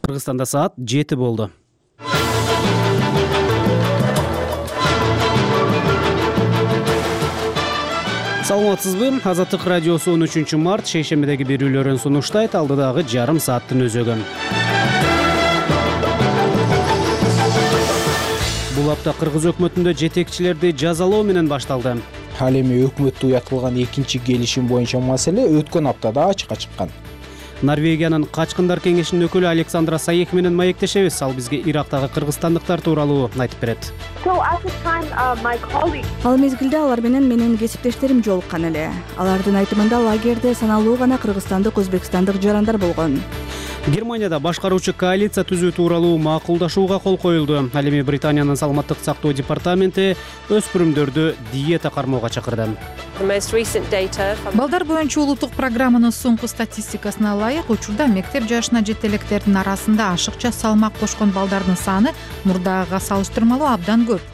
Кыргызстанда саат 7 болду. Саламатсызбы? Азаттык радиосу 13 март шейшембидеги берүүлөрүн сунуштайт. Алдыдагы жарым сааттын өзөгү. Бул апта Кыргыз өкмөтүндө жетекчилерди жазалоо менен башталды. Ал эми өкмөттө уятылган экинчи келишим боюнча маселе өткөн аптада ачыкка чыккан. Норвегиянын Качкындар кеңешинин өкүлү Александра Саек менен маектешебиз. Ал бизге Ирактагы кыргызстандыктар тууралуу айтып берет. Ал мезгилде алар менен менин кесиптештерим жолуккан эле. Алардын айтымында лагерде саналуу гана кыргызстандык, өзбекстандык жарандар болгон. Германияда башкаруучу коалиция түзүү тууралуу макулдашууга кол коюлду. Ал эми Британиянын саламаттык сактоо департаменти өспүрүмдөрдү диета кармоого чакырды. Балдар боюнча улуттук программанын соңку статистикасына ылайык, учурда мектеп жашына жеткен электердин арасында ашыкча салмак кошкон балдардын саны мурдагыга салыштырмалуу абдан көп.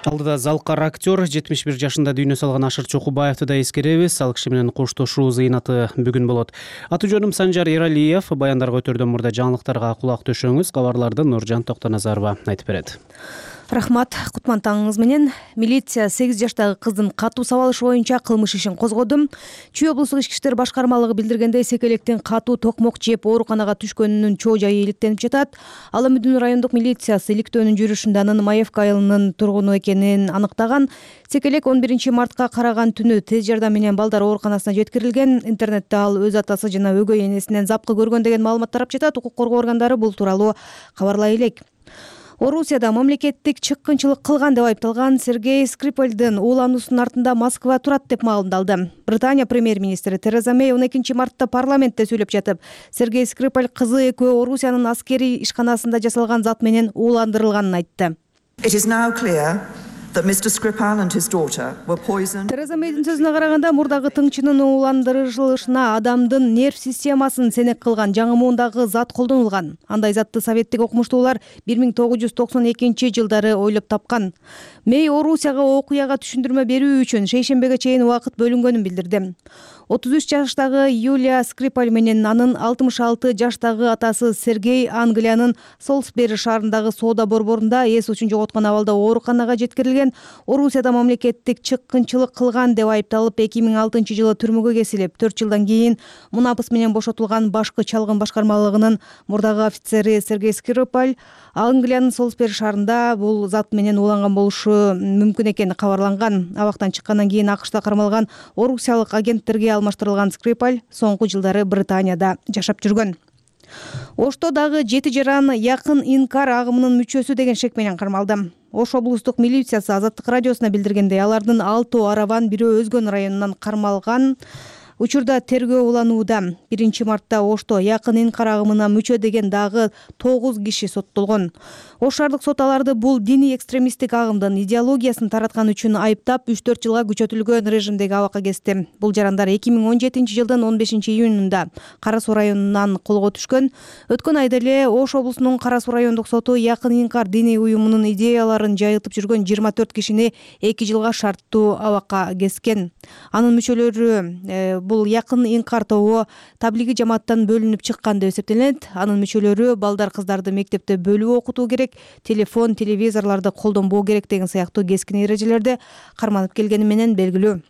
Алдыда залкар актер 71 жашында дүйнө салган Ашыр Чокубаевди да эскеребиз. Ал киши менен коштошуу зыйнаты бүгүн болот. Аты жөнүм Санжар Эралиев. Баяндарга өтөрдөн мурда жаңылыктарга кулак төшөңүз. Кабарларды Нуржан Токтоназарова айтып берет. Рахмат, кутман таңыңыз менен. Милиция 8 жаштагы кыздын катуу сабалыш боюнча кылмыш ишин козгоду. Чүй облустук ички иштер башкармалыгы билдиргендей, секелектин катуу токмок жеп ооруканага түшкөнүнүн чоо жайы иликтенип жатат. Ал Мүдүн райондук милициясы иликтөөнүн жүрүшүндө анын Маевка айылынын тургуну экенин аныктаган. Секелек 11 мартка караган түнү тез жардам менен балдар ооруканасына жеткирилген. Интернетте ал өз атасы жана өгөй энесинен запкы көргөн деген маалымат тарап жатат. Укук коргоо органдары бул тууралуу кабарлай элек. Орусияда мамлекеттик чыккынчылык кылган деп айыпталган Сергей Скрипальдын уулануусунун артында Москва турат деп маалымдалды. Британия премьер-министри Тереза Мэй 12 мартта парламентте сүйлөп жатып, Сергей Скрипаль кызы экөө Орусиянын аскерий ишканасында жасалган зат менен ууландырылганын айтты. Тереза Мэйдин сөзүнө караганда, мурдагы тыңчынын ууландырылышына адамдын нерв системасын сенек кылган жаңы муундагы зат колдонулган. Андай затты советтик окумуштуулар 1992 жылдары ойлоп тапкан. Мэй Орусияга окуяга түшүндүрмө берүү үчүн шейшембеге чейин убакыт бөлүнгөнүн билдирди. 33 жаштагы Юлия Скрипаль менен анын 66 жаштагы атасы Сергей Англиянын Солсбери шаарындагы соода борборунда эс учун жоготкон абалда ооруканага жеткирилген. Орусияда мамлекеттик чыккынчылык кылган деп айыпталып 2006 жылы түрмөгө кесилип, 4 жылдан кийин мунапыс менен бошотулган башкы чалгын башкармалыгынын мурдагы офицери Сергей Скрипаль Англиянын Солсбери шаарында бул зат менен ууланган болушу мүмкүн экени кабарланган. Абактан чыккандан кийин АКШда кармалган орусиялык агенттерге алмаштырылган Скрипаль соңку жылдары Британияда жашап жүргөн. Ошто дагы 7 жаран якын инкар агымынын мүчөсү деген шек менен кармалды. Ош облустук милициясы Азаттык радиосуна билдиргендей, алардын 6 арабан, бирөө Өзгөн районунан кармалган. Учурда тергөө уланууда. 1 мартта Ошто якын инкар агымына мүчө деген дагы 9 киши соттолгон. Ош шаардык сот аларды бул диний экстремисттик агымдын идеологиясын тараткан үчүн айыптап 3-4 жылга күчөтүлгөн режимдеги абакка кести. Бул жарандар 2017 жылдын 15 июнунда Кара Суу районунан колго түшкөн. Өткөн айда эле Ош облусунун Кара Суу райондук соту якын инкар диний уюмунун идеяларын жайылтып жүргөн 24 кишини 2 жылга шарттуу абакка кескен. Анын мүчөлөрү бул якын инкар тобу таблиги жамааттан бөлүнүп чыккан деп эсептелет. Анын мүчөлөрү балдар, кыздарды мектепте бөлүп окутуу керек, телефон, телевизорлорду колдонбоо керек деген сыяктуу кескин эрежелерди карманып келгени менен белгилүү.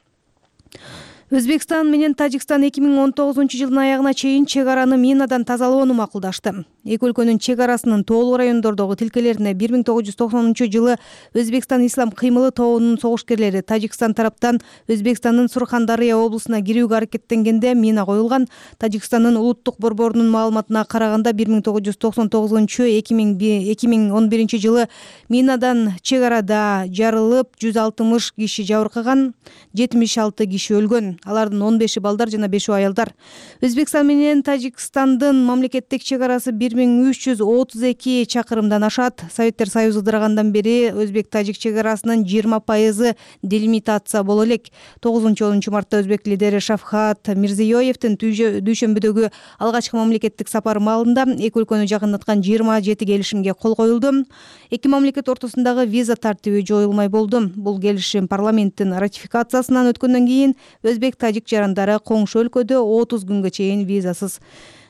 Өзбекстан менен Тажикстан 2019 жылдын аягына чейин чек араны минадан тазалоону макулдашты. Эки өлкөнүн чек арасынын тоолуу райондордогу тилкелерине 1990 жылы Өзбекстан Ислам кыймылы тобунун согушкерлери Тажикстан тараптан Өзбекстандын Сурхан-Дарья облусуна кирүүгө аракеттенгенде мина коюлган. Тажикстандын улуттук борборунун маалыматына караганда 1999-2011 жылы минадан чек арада жарылып 160 киши жабыркаган, 76 киши өлгөн. Алардын 15-и балдар жана 5-и аялдар. Өзбекстан менен Тажикстандын мамлекеттик чек арасы 1332 чакырымдан ашат. Советтер Союзу ыдырагандан бери Өзбек-Тажик чек арасынын 20% делимитация боло элек. 9-10 мартта өзбек лидери Шавкат Мирзиёевдин дүйшөмбүдөгү алгачкы мамлекеттик сапары маалында эки өлкөнү жакындаткан 27 келишимге кол коюлду. Эки мамлекет ортосундагы виза тартиби жоюлмай болду. Бул келишим парламенттин ратификациясынан өткөндөн кийин Өзбек-Тажик жарандары коңшу өлкөдө 30 күнгө чейин визасыз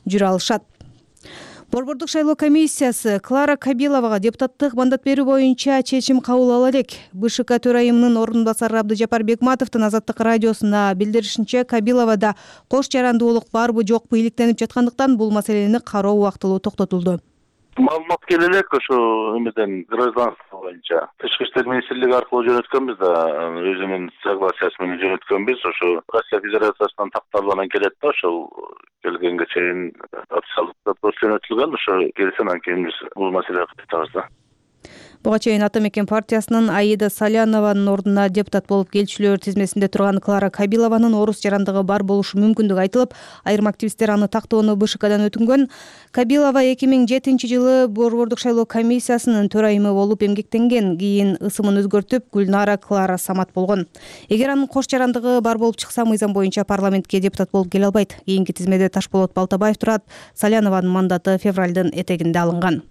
жүрө алышат. Борбордук шайлоо комиссиясы Клара Кабиловага депутаттык мандат берүү боюнча чечим кабыл ала элек. БШК төрайымынын орун басары Абдыжапар Бекматовдун Азаттык радиосуна билдиришинче, Кабиловада кош жарандуулук барбы жокпу иликтенип жаткандыктан бул маселени кароо убактылуу токтотулду. Маалымат келе элек ошо эмеден гражданство боюнча Тышкы иштер министрлиги аркылуу жөнөткөнбүз да, өзүнүн согласиясы менен жөнөткөнбүз. Ошо Россия Федерациясынан такталып анан келет да, ошол келгенге чейин официалдык запрос жөнөтүлгөн. Ошо келсе анан кийин биз бул маселени кытабыз да. Буга чейин Ата мекен партиясынын Аида Салянованын ордуна депутат болуп келчүлөр тизмесинде турган Клара Кабилованын орус жарандыгы бар болушу мүмкүндүгү айтылып, айрым активисттер аны тактоону БШКдан өтүнгөн. Кабилова 2007-жылы Борбордук шайлоо комиссиясынын төрайымы болуп эмгектенген. Кийин ысымын өзгөртүп Гүлнара Клара Самат болгон. Эгер анын кош жарандыгы бар болуп чыкса, мыйзам боюнча парламентке депутат болуп келе албайт. Кийинки тизмеде Ташболот Балтабаев турат. Салянованын мандаты февралдын этегинде алынган.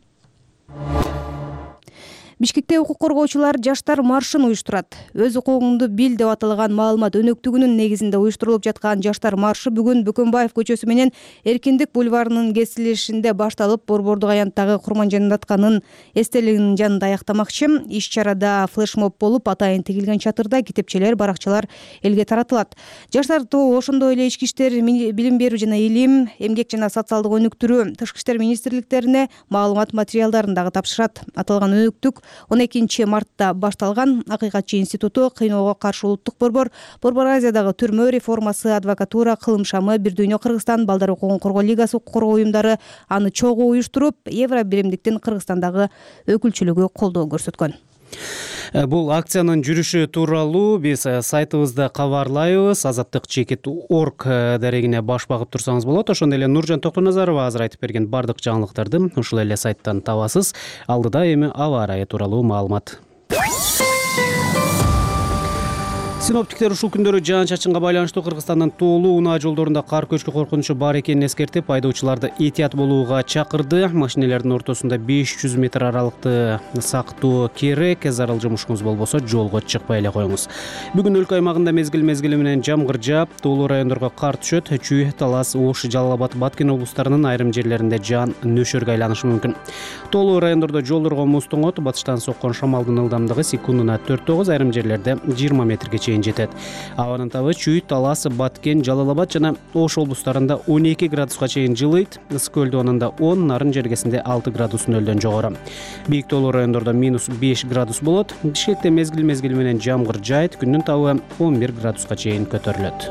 Бишкекте укук коргоочулар жаштар маршын уюштурат. Өз укугуңду бил деп аталган маалымат өнөктүгүнүн негизинде уюштурулуп жаткан жаштар маршы бүгүн Бөкөнбаев көчөсү менен Эркиндик бульварынын кесилишинде башталып, Борбордук аянттагы Курманжан Датканын эстелигинин жанында аяктамакчы. Иш-чарада флешмоб болуп, атайын тигилген чатырда китепчелер, баракчалар элге таратылат. Жаштар тобу ошондой эле ички иштер, билим берүү жана илим, эмгек жана социалдык өнүктүрүү, тышкы иштер министрликтерине маалымат материалдарын дагы тапшырат. Аталган өнүктүк 12 мартта башталган. Акыйкатчы институту, Кыйноого каршы улуттук борбор, Борбор Азиядагы түрмө реформасы, адвокатура, Кылым шамы, Бир дүйнө Кыргызстан, Балдар укугун коргоо лигасы укук коргоо уюмдары аны чогуу уюштуруп, Евро биримдиктин Кыргызстандагы өкүлчүлүгү колдоо көрсөткөн. Бул акциянын жүрүшү тууралуу биз сайтыбызда кабарлайбыз. Азаттык.org дарегине баш багып турсаңыз болот. Ошондой эле Нуржан Токтоназарова азыр айтып берген бардык жаңылыктарды ушул эле сайттан табасыз. Алдыда эми аба ырайы тууралуу маалымат. Синоптиктер ушул күндөрү жаан-чачынга байланыштуу Кыргызстандын тоолуу унаа жолдорунда кар көчкү коркунучу бар экенин эскертип, айдоочуларды этият болууга чакырды. Машинелердин ортосунда 500 метр аралыкты сактоо керек. Зарыл жумушуңуз болбосо жолго чыкпай эле коюңуз. Бүгүн өлкө аймагында мезгил менен жамгыр жаап, тоолуу райондорго кар түшөт. Чүй, Талас, Ош, Жалал Абад, Баткен облустарынын айрым жерлеринде жаан нөшөргө айланышы мүмкүн. Тоолуу райондордо жолдорго муз тоңот, батыштан соккон шамалдын ылдамдыгы секундуна 4-9, айрым жерлерде 20 метрге жетет. Абанын табы Чүй, Талас, Баткен, Жалал Абад жана Ош облустарында 12 градуска чейин жылыйт. Ысык көлдөнүндө 10, нарын жергесинде 6 градус нөлдөн жогору. Бийик тоолуу райондордо -5 градус болот. Бишкекте мезгил менен жамгыр жаайт. Күндүн табы 11 градуска чейин көтөрүлөт.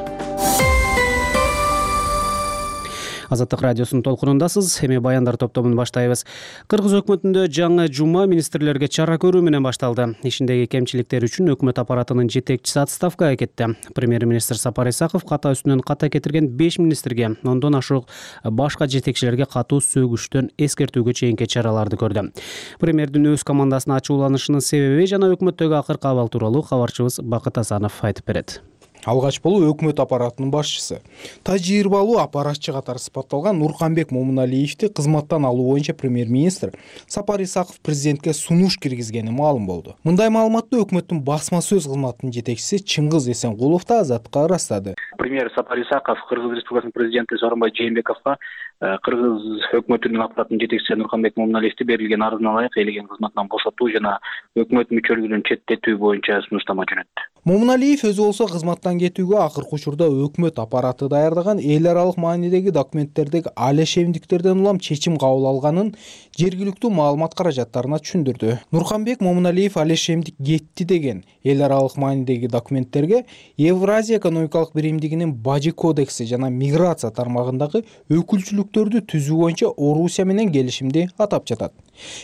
Азаттык радиосунун толкунундасыз. Эми баяндар топтомун баштайбыз. Кыргыз өкмөтүндө жаңы жума министрлерге чара көрүү менен башталды. Ишиндеги кемчиликтер үчүн өкмөт аппаратынын жетекчиси отставкага кетти. Премьер-министр Сапар Исаков ката үстүнөн ката кетирген 5 министрге, ондон ашык башка жетекчилерге катуу сөгүштөн эскертүүгө чейинки чараларды көрдү. Премьердин өз командасына ачууланышынын себеби жана өкмөттөгү акыркы абал тууралуу кабарчыбыз Бакыт Асанов айтып берет. Алгач болуу өкмөт аппаратынын башчысы, тажрыйбалуу аппаратчы катары сыпатталган Нурканбек Момуналиевди кызматтан алуу боюнча премьер-министр Сапар Исаков президентке сунуш киргизгени маалым болду. Мындай маалыматты өкмөттүн басма сөз кызматынын жетекчиси Чыңгыз Эсенкулов да Азаттыкка ырастады. Премьер Сапар Исаков Кыргыз Республикасынын президенти Сооронбай Жээнбековго Кыргыз өкмөтүнүн аппаратынын жетекчиси Нурканбек Момуналиевди берилген арызына ылайык элеген кызматынан бошотуу жана өкмөт мүчөлүгүнөн четтетүү боюнча сунуштама жөнөттү. Момуналиев өзү болсо кызматтан кетүүгө акыркы учурда өкмөт аппараты даярдаган эл аралык маанидеги документтердеги алешемдиктерден улам чечим кабыл алганын жергиликтүү маалымат каражаттарына түшүндүрдү. Нурканбек Момуналиев алешемдик кетти деген эл аралык маанидеги документтерге Евразия экономикалык биримдигинин Бажы кодекси жана миграция тармагындагы өкүлчүлүктөрдү түзүү боюнча Орусия менен келишимди атап жатат.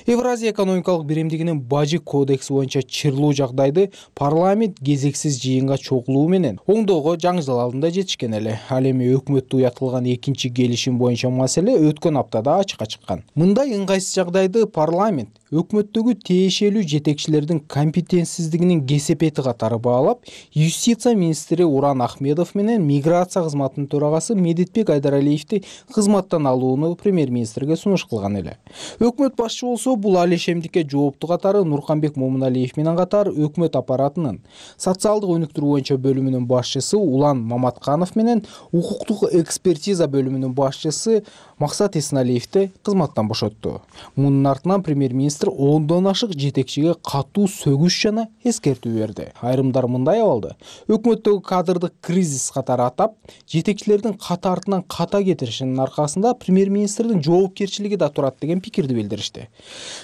Евразия экономикалык биримдигинин Бажы кодекси боюнча чырлуу жагдайды парламент кезексиз жыйынга чогулуу менен оңдоого жаңжал алдында жетишкен эле. Ал эми өкмөттө уятылган экинчи келишим боюнча маселе өткөн аптада ачыкка чыккан. Мындай ыңгайсыз жагдайды парламент өкмөттөгү тиешелүү жетекчилердин компетентсиздигинин кесепети катары баалап, юстиция министри Уран Ахмедов менен миграция кызматынын төрагасы Медетбек Айдаралиевди кызматтан алууну премьер-министрге сунуш кылган эле. Өкмөт башчысы башчы болсо бул алешемдикке жооптуу катары Нурканбек Момуналиев менен катар өкмөт аппаратынын социалдык өнүктүрүү боюнча бөлүмүнүн башчысы Улан Маматканов менен укуктук экспертиза бөлүмүнүн башчысы Максат Эсеналиевди кызматтан бошотту. Мунун артынан премьер-министр 10дон ашык жетекчиге катуу сөгүш жана эскертүү берди. Айрымдар мындай абалды өкмөттөгү кадрдык кризис катары атап, жетекчилердин ката артынан ката кетиришинин аркасында премьер-министрдин жоопкерчилиги да турат деген пикирди билдиришти.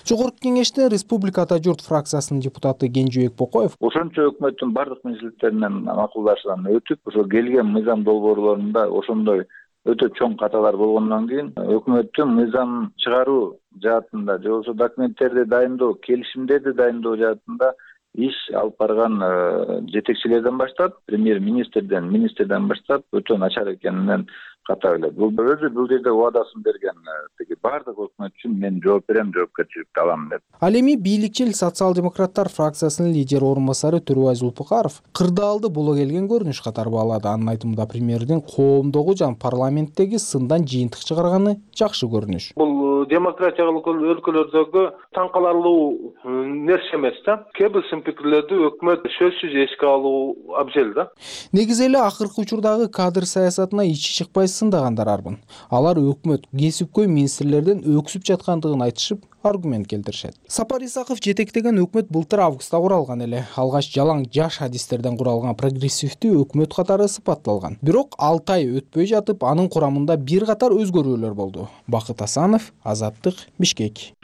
Жогорку кеңештин Республика Ата журт фракциясынын депутаты Кенжебек Бокоев ошончо өкмөттүн бардык министрликтеринен макулдашуудан өтүп, ошо келген мыйзам долбоорлорунда ошондой өтө чоң каталар болгондон кийин өкмөттүн мыйзам чыгаруу жаатында же болбосо документтерди дайындоо, келишимдерди дайындоо жаатында иш алып барган жетекчилерден баштап, премьер-министрден, министрден баштап өтө начар экенинен ката билет. Бул өзү бул жерде убадасын берген тиги бардык өкмөт үчүн мен жооп берем, жоопкерчиликти алам деп. Ал эми бийликчил социал-демократтар фракциясынын лидери орун басары Төрөбай Зулпукаров кырдаалды боло келген көрүнүш катары баалады. Анын айтымында премьердин коомдогу жана парламенттеги сындан жыйынтык чыгарганы жакшы көрүнүш. Бул демократиялык өлкөлөрдөгү таң каларлуу нерсе эмес да. Кээ бир сын пикирлерди өкмөт сөзсүз эске алуу абзел да. Негизи эле акыркы учурдагы кадр саясатына ичи чыкпай сындагандар арбын. Алар өкмөт кесипкөй министрлерден өксүп жаткандыгын айтышып, аргумент келтиришет. Сапар Исаков жетектеген өкмөт былтыр августта куралган эле. Алгач жалаң жаш адистерден куралган прогрессивдүү өкмөт катары сыпатталган. Бирок 6 ай өтпөй жатып, анын курамында бир катар өзгөрүүлөр болду. Бакыт Асанов, Азаттык, Бишкек.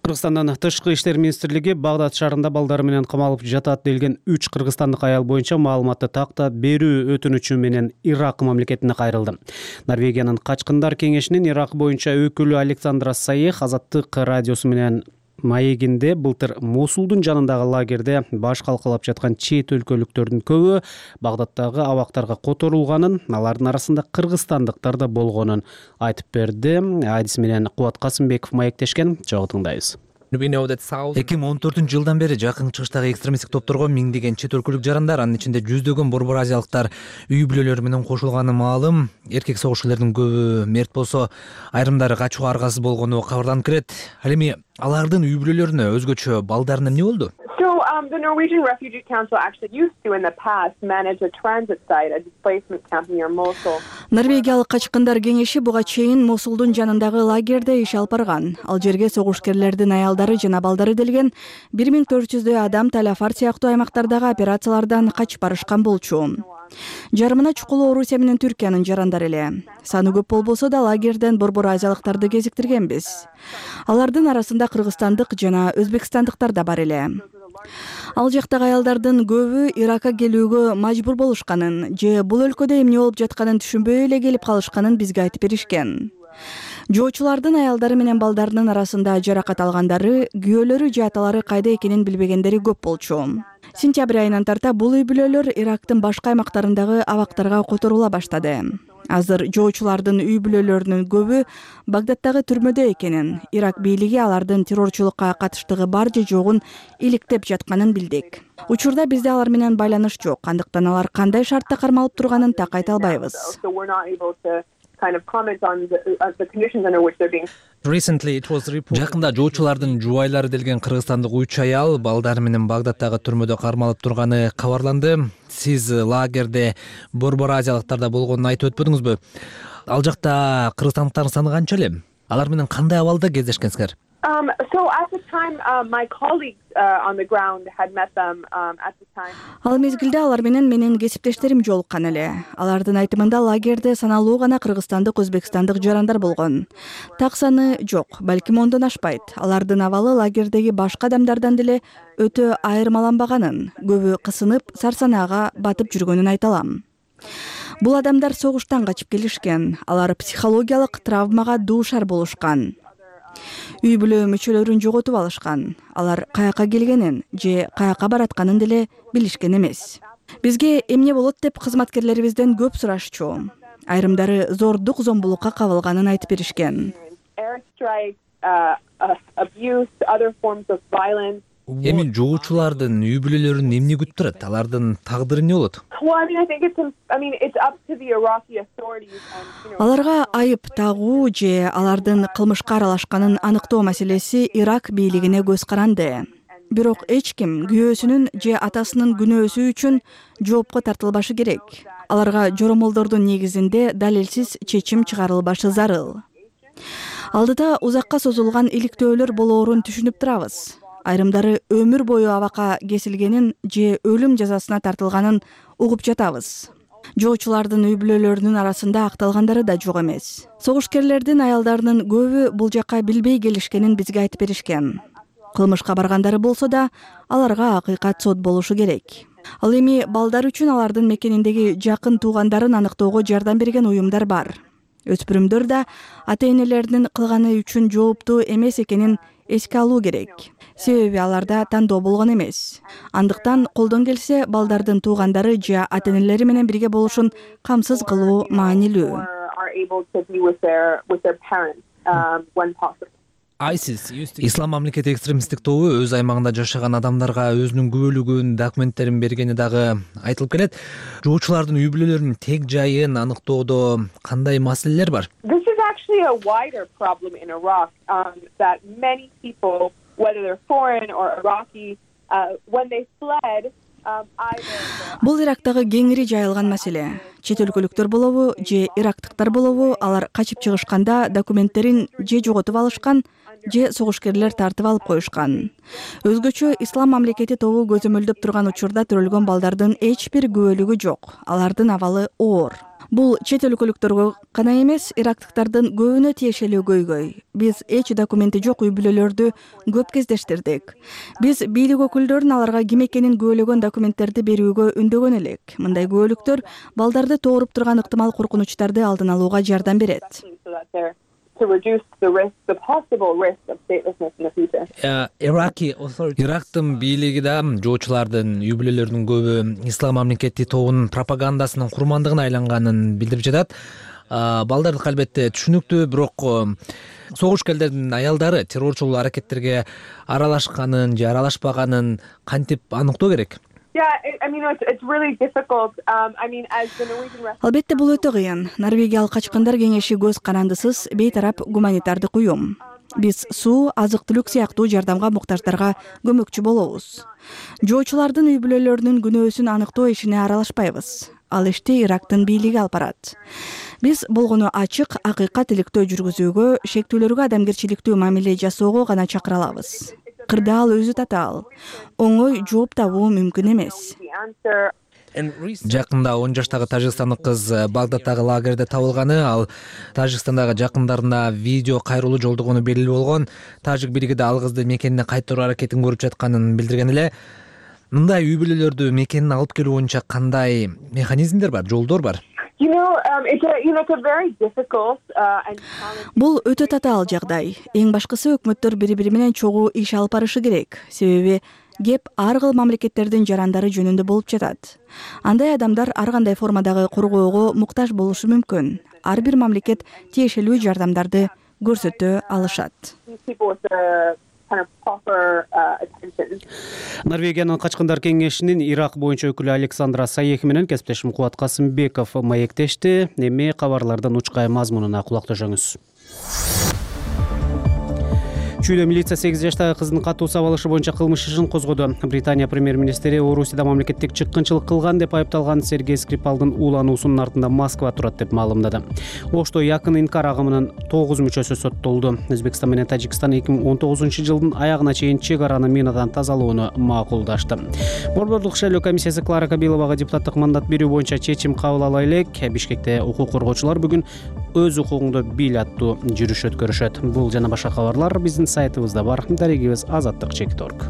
Кыргызстандын тышкы иштер министрлиги Багдад шаарында балдары менен камалып жатат делген 3 кыргызстандык аял боюнча маалыматты тактап берүү өтүнүчү менен Ирак мамлекетине кайрылды. Норвегиянын Качкындар кеңешинин Ирак боюнча өкүлү Александра Саех Азаттык радиосу менен маегинде былтыр Мосулдун жанындагы лагерде баш калкалап жаткан чет өлкөлүктөрдүн көбү Багдадтагы абактарга которулганын, алардын арасында кыргызстандыктар да болгонун айтып берди. Адис менен Кубат Касымбеков маектешкен. Чогуу тыңдайбыз. 2014 жылдан бери жакын чыгыштагы экстремисттик топторго миңдеген чет өлкөлүк жарандар, анын ичинде жүздөгөн борбор азиялыктар үй бүлөлөрү менен кошулганы маалым. Эркек согушчулардын көбү мерт болсо, айрымдары качууга аргасыз болгону кабарланып келет. Ал эми алардын үй бүлөлөрүнө, өзгөчө балдарына эмне болду? The Norwegian Refugee Council actually used to in the past manage a transit site, a displacement camp near Mosul. Норвегиялык Качкындар кеңеши буга чейин Мосулдун жанындагы лагерде иш алып барган. Ал жерге согушкерлердин аялдары жана балдары делген 1400 адам Таляфар сыяктуу аймактардагы операциялардан качып барышкан болчу. Жарымына чукулуу Орусия менен Түркиянын жарандары эле. Саны көп болбосо да лагерден борбор азиялыктарды кезиктиргенбиз. Алардын арасында кыргызстандык жана өзбекстандыктар да бар эле. Ал жактагы аялдардын көбү Иракка келүүгө мажбур болушканын же бул өлкөдө эмне болуп жатканын түшүнбөй эле келип калышканын бизге айтып беришкен. Жоочулардын аялдары менен балдарынын арасында жаракат алгандары, күйөөлөрү же аталары кайда экенин билбегендери көп болчу. Сентябрь айынан тарта бул үй бүлөлөр Ирактын башка аймактарындагы абактарга которула баштады. Азыр жоочулардын үй бүлөлөрүнүн көбү Багдадтагы түрмөдө экенин, Ирак бийлиги алардын террорчулукка катыштыгы бар же жогун иликтеп жатканын билдик. Учурда бизде алар менен байланыш жок, андыктан алар кандай шартта кармалып турганын так айта албайбыз. Жакында жоочулардын жубайлары делген кыргызстандык 3 аял балдары менен Багдадтагы түрмөдө кармалып турганы кабарланды. Сиз лагерде борбор азиялыктарда болгонун айтып өтпөдүңүзбү? Ал жакта кыргызстандыктардын саны канча эле? Алар менен кандай абалда кездешкенсиңер? So at the time, my colleagues on the ground had met them at the time. Ал мезгилде алар менен кесиптештерим жолуккан эле. Алардын айтымында лагерде саналуу гана кыргызстандык, өзбекстандык жарандар болгон. Так саны жок, балким 10дон ашпайт. Алардын абалы лагердеги башка адамдардан деле өтө айырмаланбаганын, көбү кысынып, сарсанаага батып жүргөнүн айта алам. Бул адамдар согуштан качып келишкен. Алар психологиялык травмага дуушар болушкан. Үй бүлө мүчөлөрүн жоготуп алышкан. Алар каяка келгенин же каяка баратканын деле билишкен эмес. Бизге эмне болот деп кызматкерлерибизден көп сурашчу. Айрымдары зордук, зомбулукка кабылганын айтып беришкен. Эми жоочулардын үй бүлөлөрүн эмне күтүп турат? Алардын тагдыры эмне болот? Аларга айып тагуу же алардын кылмышка аралашканын аныктоо маселеси Ирак бийлигине көз каранды. Бирок эч ким күйөөсүнүн же атасынын күнөөсү үчүн жоопко тартылбашы керек. Аларга жоромолдордун негизинде далилсиз чечим чыгарылбашы зарыл. Алдыда узакка созулган иликтөөлөр болоорун түшүнүп турабыз. Айрымдары өмүр бою абакка кесилгенин же өлүм жазасына тартылганын угуп жатабыз. Жоочулардын үй бүлөлөрүнүн арасында акталгандары да жок эмес. Согушкерлердин аялдарынын көбү бул жакка билбей келишкенин бизге айтып беришкен. Кылмышка баргандары болсо да аларга акыйкат сот болушу керек. Ал эми балдар үчүн алардын мекениндеги жакын туугандарын аныктоого жардам берген уюмдар бар. Өспүрүмдөр да ата-энелеринин кылганы үчүн жооптуу эмес экенин эске алуу керек. Себеби аларда тандоо болгон эмес. Андыктан колдон келсе балдардын туугандары же ата-энелери менен бирге болушун камсыз кылуу маанилүү. Ислам мамлекети экстремисттик тобу өз аймагында жашаган адамдарга өзүнүн күбөлүгүн, документтерин бергени дагы айтылып келет. Жоочулардын үй бүлөлөрүнүн тег жайын аныктоодо кандай маселелер бар? A wider problem in Iraq that many people, whether they're foreign or Iraqi, when they fled. Бул Ирактагы кеңири жайылган маселе. Чет өлкөлүктөр болобу же ирактыктар болобу, алар качып чыгышканда документтерин же жоготуп алышкан, же согушкерлер тартып алып коюшкан. Өзгөчө Ислам мамлекети тобу көзөмөлдөп турган учурда төрөлгөн балдардын эч бир күбөлүгү жок. Алардын абалы оор. Бул чет өлкөлүктөргө гана эмес, ирактыктардын көбүнө тиешелүү көйгөй. Биз эч документи жок үй бүлөлөрдү көп кездештирдик. Биз бийлик өкүлдөрүн аларга ким экенин күбөлөгөн документтерди берүүгө үндөгөн элек. Мындай күбөлүктөр балдарды тооруп турган ыктымал коркунучтарды алдын алууга жардам берет. Ирактын бийлиги да жоочулардын үй бүлөлөрүнүн көбү Ислам мамлекети тобунун пропагандасынын курмандыгына айланганын билдирип жатат. Балдардык албетте түшүнүктүү, бирок согушкерлердин аялдары террорчул аракеттерге аралашканын же аралашпаганын кантип аныктоо керек? Албетте бул өтө кыйын. Норвегиялык качкындар кеңеши көз карандысыз бейтарап гуманитардык уюм. Биз суу, азык-түлүк сыяктуу жардамга муктаждарга көмөкчү болобуз. Жоочулардын үй бүлөлөрүнүн күнөөсүн аныктоо ишине аралашпайбыз. Ал ишти Ирактын бийлиги алып барат. Биз болгону ачык, акыйкат иликтөө жүргүзүүгө, шектүүлөргө адамгерчиликтүү мамиле жасоого гана чакыра алабыз. Кырдаал өзү татаал. Оңой жооп табуу мүмкүн эмес. Жакында 10 жаштагы тажикстандык кыз Багдадтагы лагерде табылганы, ал Тажикстандагы жакындарына видео кайрылуу жолдогону белгилүү болгон. Тажик бийлиги да ал кызды мекенине кайтаруу аракетин көрүп жатканын билдирген эле. Мындай үй бүлөлөрдү мекенине алып келүү боюнча кандай механизмдер бар, жолдор бар? Бул өтө татаал жагдай. Эң башкысы өкмөттөр бири-бири менен чогуу иш алып барышы керек. Себеби кеп ар кыл мамлекеттердин жарандары жөнүндө болуп жатат. Андай адамдар ар кандай формадагы коргоого муктаж болушу мүмкүн. Ар бир мамлекет тиешелүү жардамдарды көрсөтө алышат. Норвегиянын качкындар кеңешинин Ирак боюнча өкүлү Александра Саех менен кесиптешим Кубат Касымбеков маектешти. Эми кабарлардын учкай мазмунуна кулак төшөңүз. Чүйдө милиция 8 жаштагы кыздын катуу сабалышы боюнча кылмыш ишин козгоду. Британия премьер-министри Орусияда мамлекеттик чыккынчылык кылган деп айыпталган Сергей Скрипалдын уулануусунун артында Москва турат деп маалымдады. Ошто якын инкар агымынын 9 мүчөсү соттолду. Өзбекстан менен Тажикстан 2019-жылдын аягына чейин чек араны минадан тазалоону макулдашты. Борборлук шайлоо комиссиясы Клара Кабиловага депутаттык мандат берүү боюнча чечим кабыл ала элек. Бишкекте укук коргоочулар бүгүн өз укугуңду бил аттуу жүрүш өткөрүшөт. Бул жана башка кабарлар биздин сайтыбызда бар. Дарегибиз azattik.org.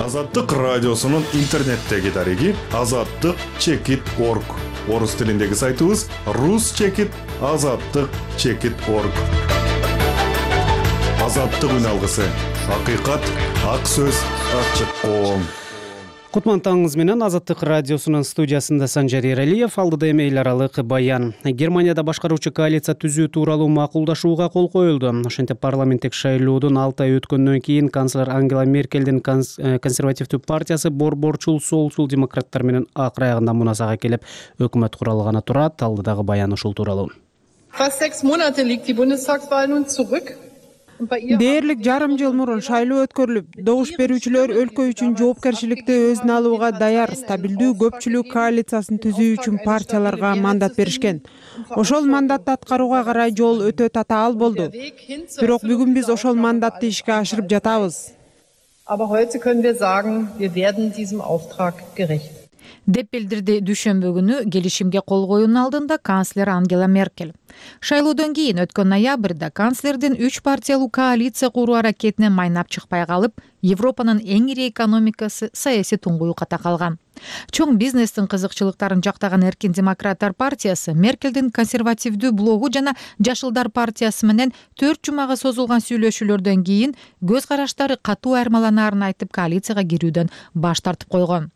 Азаттык радиосунун интернеттеги дареги azattik.org. Орус тилиндеги сайтыбыз rus-azattik.org. Азаттык үн алгысы. Акыйкат, ак сөз, ачык коом. Кутман таңыңыз менен. Азаттык радиосунун студиясында Санжар Ералиев. Алдыда эми эл аралык баян. Германияда башкаруучу коалиция түзүү тууралуу макулдашууга кол коюлду. Ошентип парламенттик шайлоодон 6 ай өткөндөн кийин канцлер Ангела Меркелдин консервативдүү партиясы борборчул солчул демократтар менен акыр аягында муназага келип өкмөт куралганы турат. Алдыдагы баян ушул тууралуу. Fast 6 Monate liegt die Bundestagswahl nun zurück. Дээрлик жарым жыл мурун шайлоо өткөрүлүп, добуш берүүчүлөр өлкө үчүн жоопкерчиликти өзүнө алууга даяр стабилдүү көпчүлүк коалициясын түзүү үчүн партияларга мандат беришкен. Ошол мандатты аткарууга карай жол өтө татаал болду. Бирок бүгүн биз ошол мандатты ишке ашырып жатабыз. Aber heute können wir sagen, wir werden diesem Auftrag gerecht. деп билдирди дүйшөмбү күнү келишимге кол коюунун алдында канцлер Ангела Меркель. Шайлоодон кийин өткөн ноябрда канцлердин 3 партиялуу коалиция куруу аракетине майнап чыкпай калып, Европанын эң ири экономикасы саясий туңгуюкка такалган. Чоң бизнестин кызыкчылыктарын жактаган Эркин демократтар партиясы Меркелдин консервативдүү блогу жана Жашылдар партиясы менен 4 жумага созулган сүйлөшүүлөрдөн кийин көз караштары катуу айырмаланаарын айтып коалицияга кирүүдөн баш тартып койгон.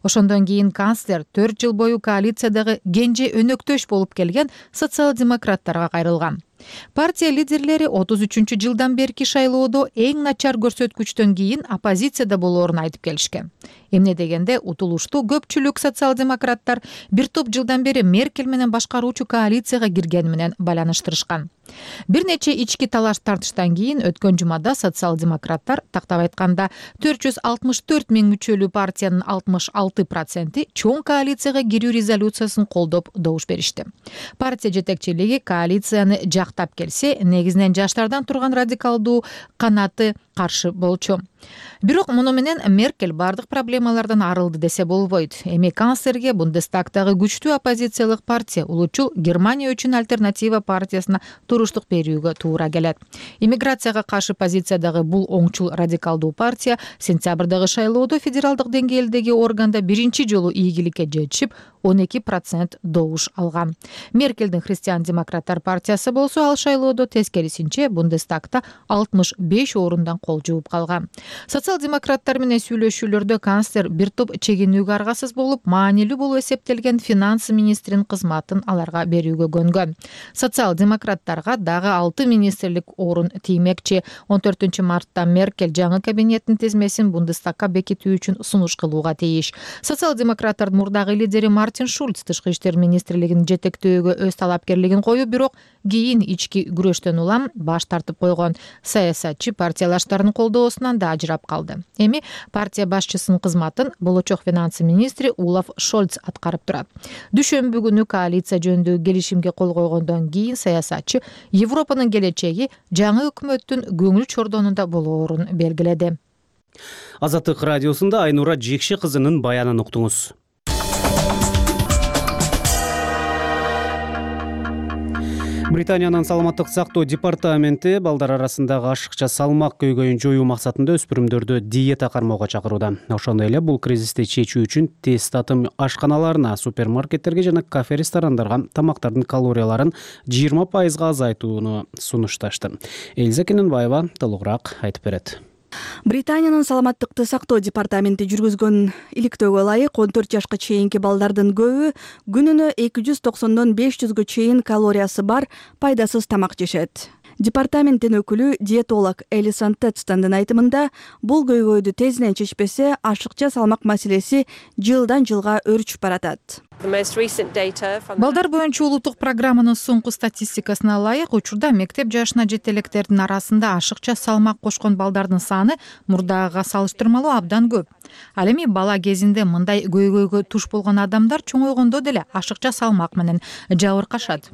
Ошондон кийин канцлер 4 жыл бою коалициядагы кенже өнөктөш болуп келген социал-демократтарга кайрылган. Партия лидерлери 33 жылдан берки шайлоодо эң начар көрсөткүчтөн кийин оппозицияда болоорун айтып келишкен. Эмне дегенде утулуштуу көпчүлүк социал-демократтар бир топ жылдан бери Меркель менен башкаруучу коалицияга киргени менен байланыштырышкан. Бир нече ички талаш тартыштан кийин өткөн жумада социал-демократтар тактап айтканда 464 миң мүчөлүү партиянын 66% чоң коалицияга кирүү резолюциясын колдоп добуш беришти. Партия жетекчилиги коалицияны жактап келсе, негизинен жаштардан турган радикалдуу канаты каршы болчу. Бирок муну менен Меркель бардык проблемалардан арылды десе болбойт. Эми канцлерге Бундестагтагы күчтүү оппозициялык партия улучул Германия үчүн альтернатива партиясына туруштук берүүгө туура келет. Иммиграцияга каршы позициядагы бул оңчул радикалдуу партия сентябрдагы шайлоодо федералдык деңгээлдеги органда биринчи жолу ийгиликке жетишип 12% добуш алган. Меркелдин христиан-демократтар партиясы болсо ал шайлоодо тескерисинче Бундестагта 65 орундан кол жууп калган. Социал-демократтар менен сүйлөшүүлөрдө канцлер бир топ чегинүүгө аргасыз болуп, маанилүү болуп эсептелген финансы министринин кызматын аларга берүүгө көнгөн. Социал-демократтарга дагы 6 министрлик орун тиймекчи. 14 мартта Меркель жаңы кабинеттин тизмесин Бундестагга бекитүү үчүн сунуш кылууга тийиш. Социал-демократтардын мурдагы лидери Мартин Шульц тышкы иштер министрлигин жетектөөгө өз талапкерлигин коюп, бирок кийин ички күрөштөн улам баш тартып койгон. Саясатчы партиялаштардын колдоосунан да ажырап калды. Эми партия башчысынын кызматын болочок финансы министри Олаф Шольц аткарып турат. Дүйшөмбү күнү коалиция жөнүндө келишимге кол койгондон кийин саясатчы Европанын келечеги жаңы өкмөттүн көңүл чордонунда болоорун белгиледи. Азаттык радиосунда Айнура Жекши кызынын баянын уктуңуз. Британиянын саламаттык сактоо департаменти балдар арасындагы ашыкча салмак көйгөйүн жоюу максатында өспүрүмдөрдү диета кармоого чакырууда. Ошондой эле бул кризисти чечүү үчүн тез татым ашканаларына, супермаркеттерге жана кафе-ресторандарга тамактардын калорияларын 20% азайтууну сунушташты. Элиза Кененбаева толугураак айтып берет. Британиянын саламаттыкты сактоо департаменти жүргүзгөн иликтөөгө ылайык 14 жашка чейинки балдардын көбү күнүнө 290дон 500гө чейин калориясы бар пайдасыз тамак жешет. Департаменттин өкүлү диетолог Элисон Тедстандын айтымында, бул көйгөйдү тезинен чечпесе, ашыкча салмак маселеси жылдан жылга өрчүп баратат. Балдар боюнча улуттук программанын соңку статистикасына ылайык, учурда мектеп жашына жете электердин арасында ашыкча салмак кошкон балдардын саны мурдагыга салыштырмалуу абдан көп. Ал эми бала кезинде мындай көйгөйгө туш болгон адамдар чоңойгондо деле ашыкча салмак менен жабыркашат.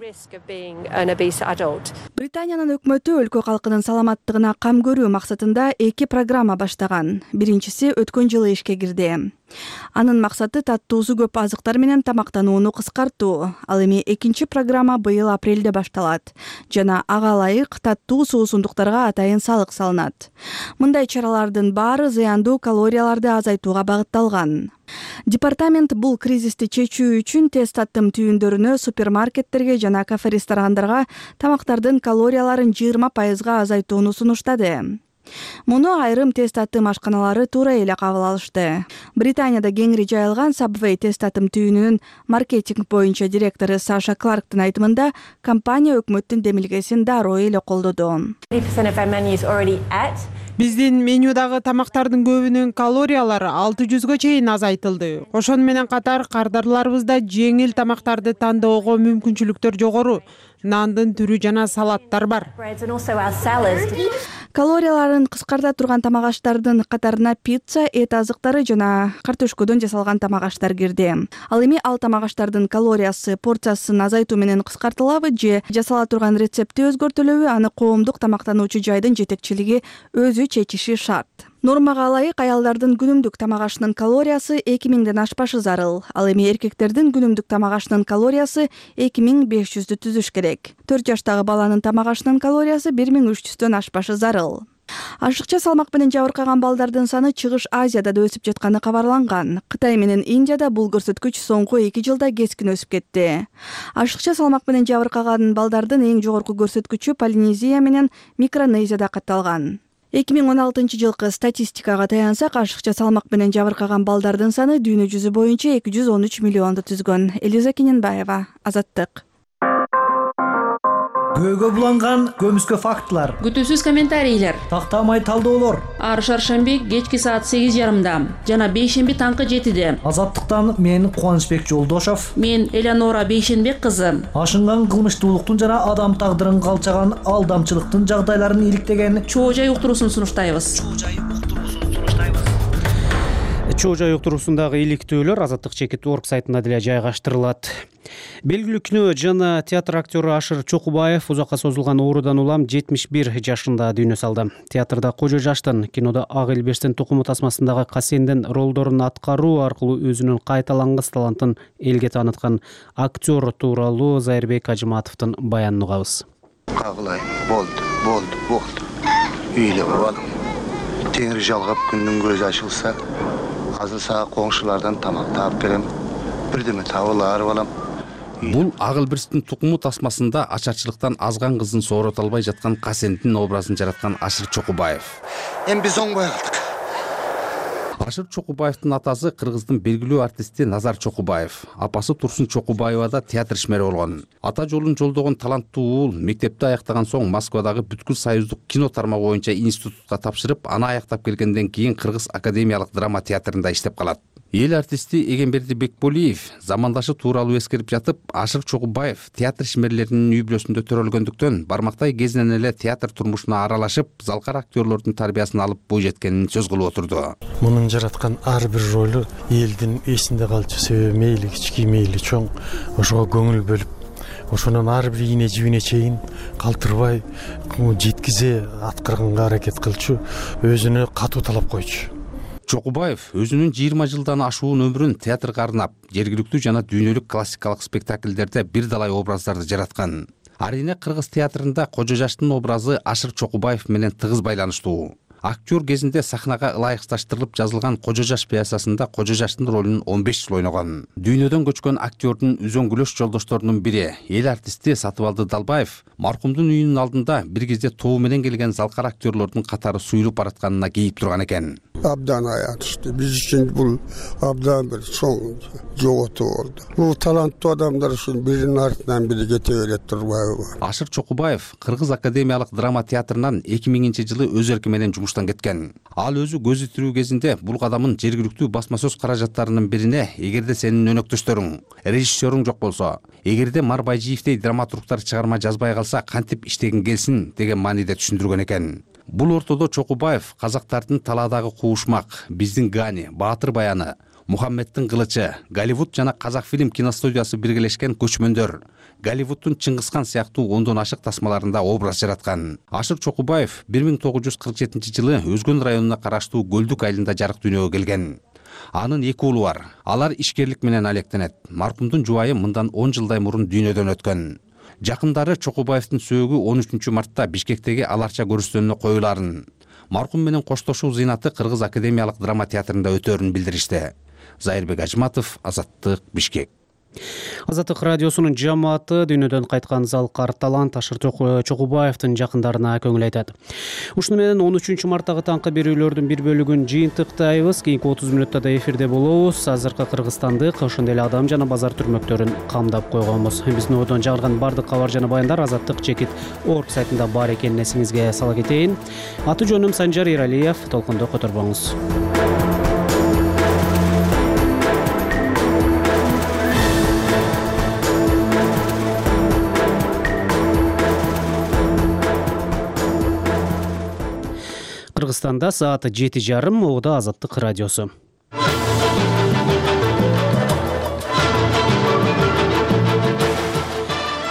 Британиянын өкмөтү өлкө калкынын саламаттыгына кам көрүү максатында 2 программа баштаган. Биринчиси өткөн жылы ишке кирди. Анын максаты таттуусу көп азыктар менен тамактанууну кыскартуу. Ал эми экинчи программа быйыл апрелде башталат. Жана ага ылайык таттуу суусундуктарга атайын салык салынат. Мындай чаралардын баары зыяндуу калорияларды азайтууга багытталган. Департамент бул кризисти чечүү үчүн тез таттым түйүндөрүнө, супермаркеттерге жана кафе-ресторандарга тамактардын калорияларын 20% азайтууну сунуштады. Муну айрым тест татым ашканалары туура эле кабыл алышты. Британияда кеңири жайылган Subway тест татым түйүнүнүн маркетинг боюнча директору Саша Кларктын айтымында, компания өкмөттүн демилгесин дароо эле колдоду. Биздин менюдагы тамактардын көбүнүн калориялары 600гө чейин азайтылды. Ошону менен катар кардарларыбызда жеңил тамактарды тандоого мүмкүнчүлүктөр жогору. Нандын түрү жана салаттар бар. Калорияларын кыскарта турган тамак аштардын катарына пицца, эт азыктары жана картошкодон жасалган тамак аштар кирди. Ал эми ал тамак аштардын калориясы порциясын азайтуу менен кыскартылабы же жасала турган рецепти өзгөртүлөбү, аны коомдук тамактануучу жайдын жетекчилиги өзү чечиши шарт. Нормага ылайык аялдардын күнүмдүк тамак ашынын калориясы 2000ден ашпашы зарыл. Ал эми эркектердин күнүмдүк тамак ашынын калориясы 2500дү түзүш керек. 4 жаштагы баланын тамак ашынын калориясы 1300дөн ашпашы зарыл. Ашыкча салмак менен жабыркаган балдардын саны Чыгыш Азияда да өсүп жатканы кабарланган. Кытай менен Индияда бул көрсөткүч соңку 2 жылда кескин өсүп кетти. Ашыкча салмак менен жабыркаган балдардын эң жогорку көрсөткүчү Полинезия менен Микронезияда катталган. 2016 жылкы статистикага таянсак, ашыкча салмак менен жабыркаган балдардын саны дүйнө жүзү боюнча 213 миллионду түзгөн. Элиза Кененбаева, Азаттык. Көйгө буланган көмүскө фактылар, күтүүсүз комментарийлер, тактамай талдоолор. Ар шаршемби кечки саат 8:30, жана бейшемби таңкы 7:de. Азаттыктан мен Кубанычбек Жолдошов, мен Элеонора Бейшенбек кызы. Ашынган кылмыштуулуктун жана адам тагдырын калчаган алдамчылыктын жагдайларын иликтеген чоо жай уктуруусун сунуштайбыз. Чоо жай уктуруусундагы иликтөөлөр Азаттык Чекит.org сайтында деле жайгаштырылат. Белгилүү кино жана театр актёру Ашыр Чокубаев узакка созулган оорудан улам 71 жашында дүйнө салды. Театрда кожо жаштын, кинодо Ак Элберстин тукуму тасмасындагы Касендин ролдорун аткаруу аркылуу өзүнүн кайталангыс талантын элге тааныткан актер тууралуу Зайырбек Ажыматовдун баянын угабыз. Кагылай, болду. Үйлө балам. Теңир жалгап күндүн көзү ачылса, азыр сага коңшулардан тамак таап берем. Бирдеме табылар балам. Бул Ак Элберстин тукуму тасмасында ачарчылыктан азган кызын соорото албай жаткан Касендин образын жараткан Ашыр Чокубаев. Эми биз оңбой калдык. Ашыр Чокубаевдин атасы кыргыздын белгилүү артисти Назар Чокубаев, апасы Турсун Чокубаева да театр ишмери болгон. Ата жолун жолдогон таланттуу уулу мектепти аяктаган соң Москвадагы бүткүл союздук кино тармагы боюнча институтка тапшырып, аны аяктап келгенден кийин Кыргыз академиялык драма театрында иштеп калат. Эл артисти Эгемберди Бекболиев замандашы тууралуу эскерип жатып, Ашыр Чокубаев театр ишмерлеринин үй бүлөсүндө төрөлгөндүктөн бармактай кезинен эле театр турмушуна аралашып, залкар актерлордун тарбиясын алып бой жеткенин сөз кылып отурду. Мунун жараткан ар бир ролу элдин эсинде калчу себеби мейли кички мейли чоң ошого көңүл бөлүп, ошонун ар бир ийне жибине чейин калтырбай жеткизе аткарганга аракет кылчу, өзүнө катуу талап койчу. Чокубаев өзүнүн 20 жылдан ашуун өмүрүн театрга арнап, жергиликтүү жана дүйнөлүк классикалык спектакльдерде бир далай образдарды жараткан. Арийне Кыргыз театрында кожо жаштын образы Ашыр Чокубаев менен тыгыз байланыштуу. Актер кезинде сахнага ылайыкташтырылып жазылган Кожо жаш пьесасында кожо жаштын ролун 15 жыл ойногон. Дүйнөдөн көчкөн актердун үзөңгүлөш жолдошторунун бири, эл артисти Сатыбалды Далбаев, маркумдун үйүнүн алдында бир кезде тобу менен келген залкар актерлордун катары суюлуп баратканына кейип турган экен. Абдан аянычтуу. Биз үчүн бул абдан бир чоң жоготуу болду. Бул таланттуу адамдар үчүн биринин артынан бири кете берет турбайбы? Ашыр Чокубаев Кыргыз академиялык драма театрынан 2000-жылы өз эрки менен жумуштан кеткен. Ал өзү көзү тирүү кезинде бул кадамын жергиликтүү басма сөз каражаттарынын бирине, эгерде сенин өнөктөштөрүң, режиссерүң жок болсо, эгерде Мар Байжиевдей драматургтар чыгарма жазбай калса, кантип иштегин келсин деген мааниде түшүндүргөн экен. Бул ортодо Чокубаев казактардын талаадагы куушмак, биздин Гани, Баатыр баяны, Мухаммеддин кылычы, Голливуд жана Казакфильм киностудиясы биргелешкен көчмөндөр, Голливуддун Чыңгызхан сыяктуу ондон ашык тасмаларында образ жараткан. Ашыр Чокубаев 1947-жылы Өзгөн районуна караштуу Көлдүк айылында жарык дүйнөгө келген. Анын 2 уулу бар. Алар ишкерлик менен алектенет. Маркумдун жубайы мындан 10 жылдай мурун дүйнөдөн өткөн. Жакындары Чокубаевдин сөөгү 13 мартта Бишкектеги Аларча көрүстөнүнө коюларын, маркум менен коштошуу зыйнаты Кыргыз академиялык драма театрында өтөрүн билдиришти. Зайырбек Ажыматов, Азаттык, Бишкек. Азаттык радиосунун жамааты дүйнөдөн кайткан Залкар талант Ашыр Чокубаевдин жакындарына көңүл айтат. Ушуну менен 13 марттагы таңкы берүүлөрдүн бир бөлүгүн жыйынтыктайбыз. Кийинки 30 мүнөттө да эфирде болобуз. Азыркы Кыргызстандык, ошондой эле Адам жана базар түрмөктөрүн камдап койгонбуз. Биздин одон жагылган бардык кабар жана баяндар azattik.org сайтында бар экенин эсиңизге сала кетейин. Аты жөнүм Санжар Иралиев. Толкунду которбоңуз. Кыргызстанда сааты 7:30, могуда Азаттык радиосу.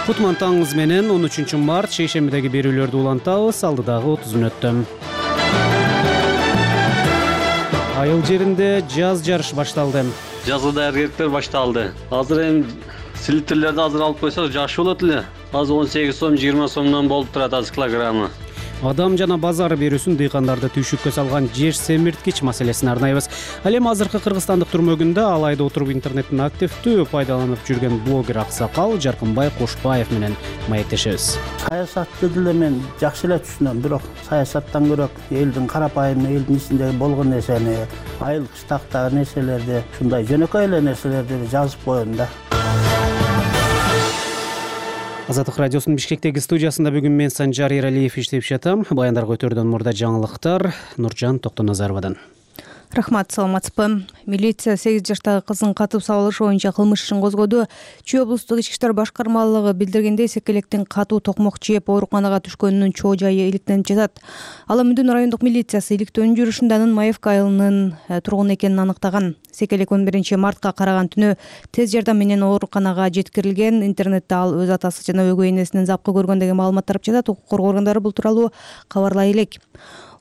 Кутман таңыңыз менен 13 март шейшембидеги берүүлөрдү улантабыз. Алдыдагы 30 мүнөттө. Айыл жеринде жаз жарыш башталды. Жазгы даярдыктар башталды. Азыр эми силитрлерди азыр алып койсок жакшы болот эле. Азыр 18 сом, 20 сомдон болуп турат азыр килограммы. Адам жана базар берүүсүн дыйкандарды түйшүккө салган жер семирткич маселесин арнайбыз. Ал эми азыркы кыргызстандык түрмөгүндө алайда отуруп интернеттин активдүү пайдаланып жүргөн блогер Аксакал Жаркынбай Кошбаев менен маектешебиз. Саясатты деле мен жакшы эле түшүнөм, бирок саясаттан көрөк элдин карапайым элдин ичиндеги болгон нерсени, айыл кыштактагы нерселерди, ушундай жөнөкөй эле нерселерди жазып коем да. Азаттык радиосунун Бишкектеги студиясында бүгүн мен Санжар Иралиев иштеп жатам. Баяндарга өтөрдөн мурда жаңылыктар Нуржан Токтоназаровадан. Рахмат, саламатсызбы. Милиция 8 жаштагы кыздын катып сабылышы боюнча кылмыш ишин козгоду. Чүй облустук ички иштер башкармалыгы билдиргендей, секелектин катуу токмок жеп ооруканага түшкөнүнүн чоо жайы иликтенип жатат. Ал Мүдүн райондук милициясы иликтөөнүн жүрүшүндө анын Маевка айылынын тургуну экенин аныктаган. Секелек 11 мартка караган түнү тез жардам менен ооруканага жеткирилген. Интернетте ал өз атасы жана өгөй энесинин запкы көргөн деген маалымат тарап жатат. Укук коргоо органдары бул тууралуу кабарлай элек.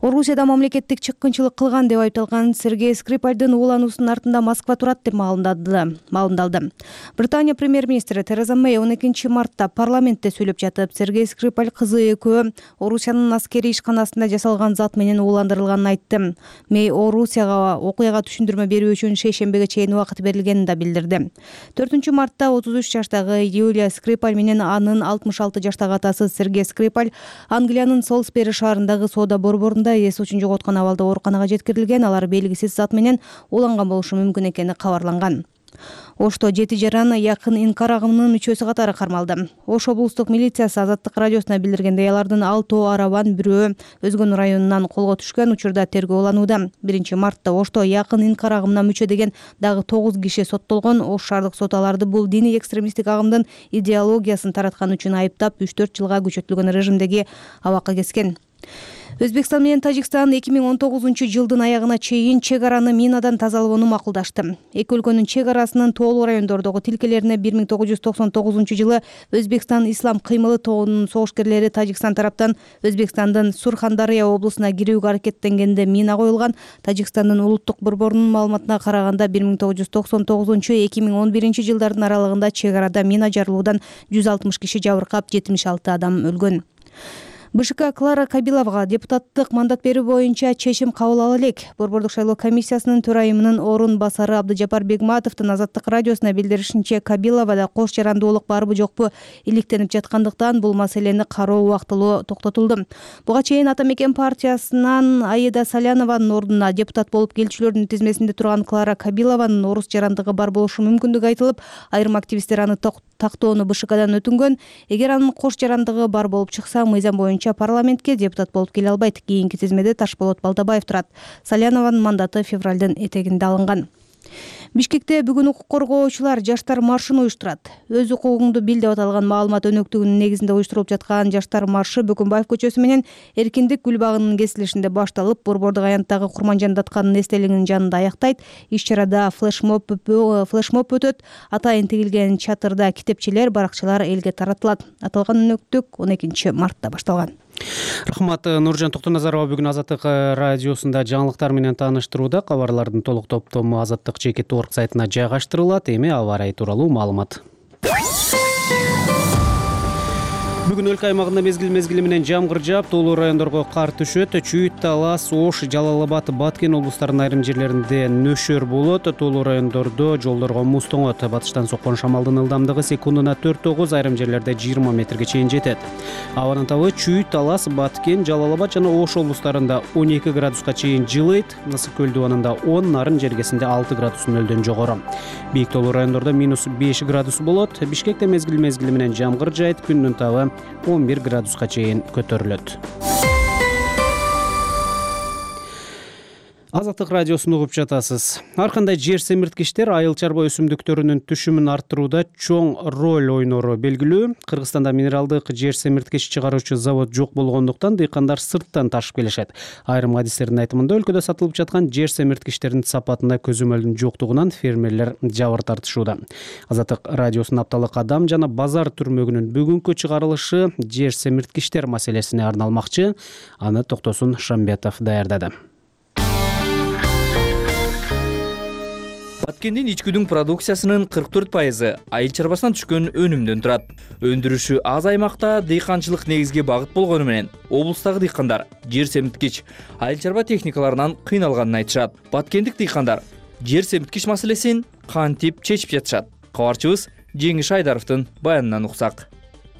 Орусияда мамлекеттик чыккынчылык кылган деп айыпталган Сергей Скрипальдын уулануусунун артында Москва турат деп маалымдалды. Британия премьер-министри Тереза Мэй 12 мартта парламентте сүйлөп жатып, Сергей Скрипаль кызы экөө Орусиянын аскерий ишканасында жасалган зат менен ууландырылганын айтты. Мэй Орусияга окуяга түшүндүрмө берүү үчүн шейшембиге чейин убакыт берилгенин да билдирди. 4 мартта 33 жаштагы Юлия Скрипаль менен анын 66 жаштагы атасы Сергей Скрипаль Англиянын Солсбери шаарындагы соода борборунда эс учун жоготкон абалда ооруканага жеткирилген. Алар белгисиз зат менен ууланган болушу мүмкүн экени кабарланган. Ошто 7 жаран якын инкар агымынын мүчөсү катары кармалды. Ош облустук милициясы Азаттык радиосуна билдиргендей, алардын 6 арабан бирөө Өзгөн районунан колго түшкөн. Учурда тергөө уланууда. 1 мартта Ошто якын инкар агымына мүчө деген дагы 9 киши соттолгон. Ош шаардык сот аларды бул диний экстремисттик агымдын идеологиясын тараткан үчүн айыптап 3-4 жылга күчөтүлгөн режимдеги абакка кескен. Өзбекстан менен Тажикстан 2019 жылдын аягына чейин чек араны минадан тазалоону макулдашты. Эки өлкөнүн чек арасынын тоолуу райондордогу тилкелерине 1999 жылы Өзбекстан Ислам кыймылы тобунун согушкерлери Тажикстан тараптан Өзбекстандын Сурхандария облусуна кирүүгө аракеттенгенде мина коюлган. Тажикстандын улуттук борборунун маалыматына караганда 1999-2011 жылдардын аралыгында чек арада мина жарылуудан 160 киши жабыркап, 76 адам өлгөн. БШК Клара Кабиловага депутаттык мандат берүү боюнча чечим кабыл ала элек. Борбордук шайлоо комиссиясынын төрайымынын орун басары Абдыжапар Бегматовдун Азаттык радиосуна билдиришинче, Кабиловада кош жарандуулук барбы жокпу иликтенип жаткандыктан бул маселени кароо убактылуу токтотулду. Буга чейин Ата Мекен партиясынан Аида Салянованын ордуна депутат болуп келчүлөрдүн тизмесинде турган Клара Кабилованын орус жарандыгы бар болушу мүмкүндүгү айтылып, айрым активисттер аны тактоону БШКдан өтүнгөн. Эгер анын кош жарандыгы бар болуп чыкса, мыйзам боюнча парламентке депутат болуп келе албайт. Кийинки тизмеде Ташболот Балдабаев турат. Салянованын мандаты февралдын этегинде алынган. Бишкекте бүгүн укук коргоочулар жаштар маршын уюштурат. Өз укугуңду бил деп аталган маалымат өнөктүгүнүн негизинде уюштурулуп жаткан жаштар маршы Бөкөнбаев көчөсү менен Эркиндик гүл багынын кесилишинде башталып, Борбордук аянттагы Курманжан Датканын эстелигинин жанында аяктайт. Иш-чарада флешмоб өтөт. Атайын тигилген чатырда китепчелер, баракчалар элге таратылат. Аталган өнөктүк 12 мартта башталган. Рахмат, Нуржан Токтоназарова бүгүн Азаттык радиосунда жаңылыктар менен тааныштырууда. Кабарлардын толук топтому azattik.org сайтына жайгаштырылат. Эми аба ырайы тууралуу маалымат. Бүгүн өлкө аймагында мезгил менен жамгыр жаап, тоолуу райондорго кар түшөт. Чүйүт, Талас, Ош, Жалал Абад, Баткен облустарынын айрым жерлеринде нөшөр болот. Тоолуу райондордо жолдорго муз тоңот. Батыштан соккон шамалдын ылдамдыгы секундуна 4-9, айрым жерлерде 20 метрге чейин жетет. Абанын табы Чүйүт, Талас, Баткен, Жалал Абад жана Ош облустарында 12 градуска чейин жылыйт. Ысык көл дубанында 10, Нарын жергесинде 6 градус нөлдөн жогору. Бийик тоолуу райондордо -5 градус болот. Бишкекте мезгил менен жамгыр жаайт. Күндүн табы 11 градуска чейин көтөрүлөт. Азаттык радиосун угуп жатасыз. Ар кандай жер семирткичтер айыл чарба өсүмдүктөрүнүн түшүмүн арттырууда чоң роль ойнору белгилүү. Кыргызстанда минералдык жер семирткич чыгаруучу завод жок болгондуктан дыйкандар сырттан ташып келишет. Айрым адистердин айтымында өлкөдө сатылып жаткан жер семирткичтердин сапатында көзөмөлдүн жоктугунан фермерлер жабыр тартышууда. Азаттык радиосунун апталык адам жана базар түрмөгүнүн бүгүнкү чыгарылышы жер семирткичтер маселесине арналмакчы. Аны Токтосун Шамбетов даярдады. Баткендин ичкүдүн продукциясынын 44% айыл чарбасынан түшкөн өнүмдөн турат. Өндүрүшү аз аймакта дыйканчылык негизги багыт болгону менен облустагы дыйкандар жер семирткич айыл чарба техникаларынан кыйналганын айтышат. Баткендик дыйкандар жер семирткич маселесин кантип чечип жатышат? Кабарчыбыз Жеңиш Айдаровдун баянынан уксак.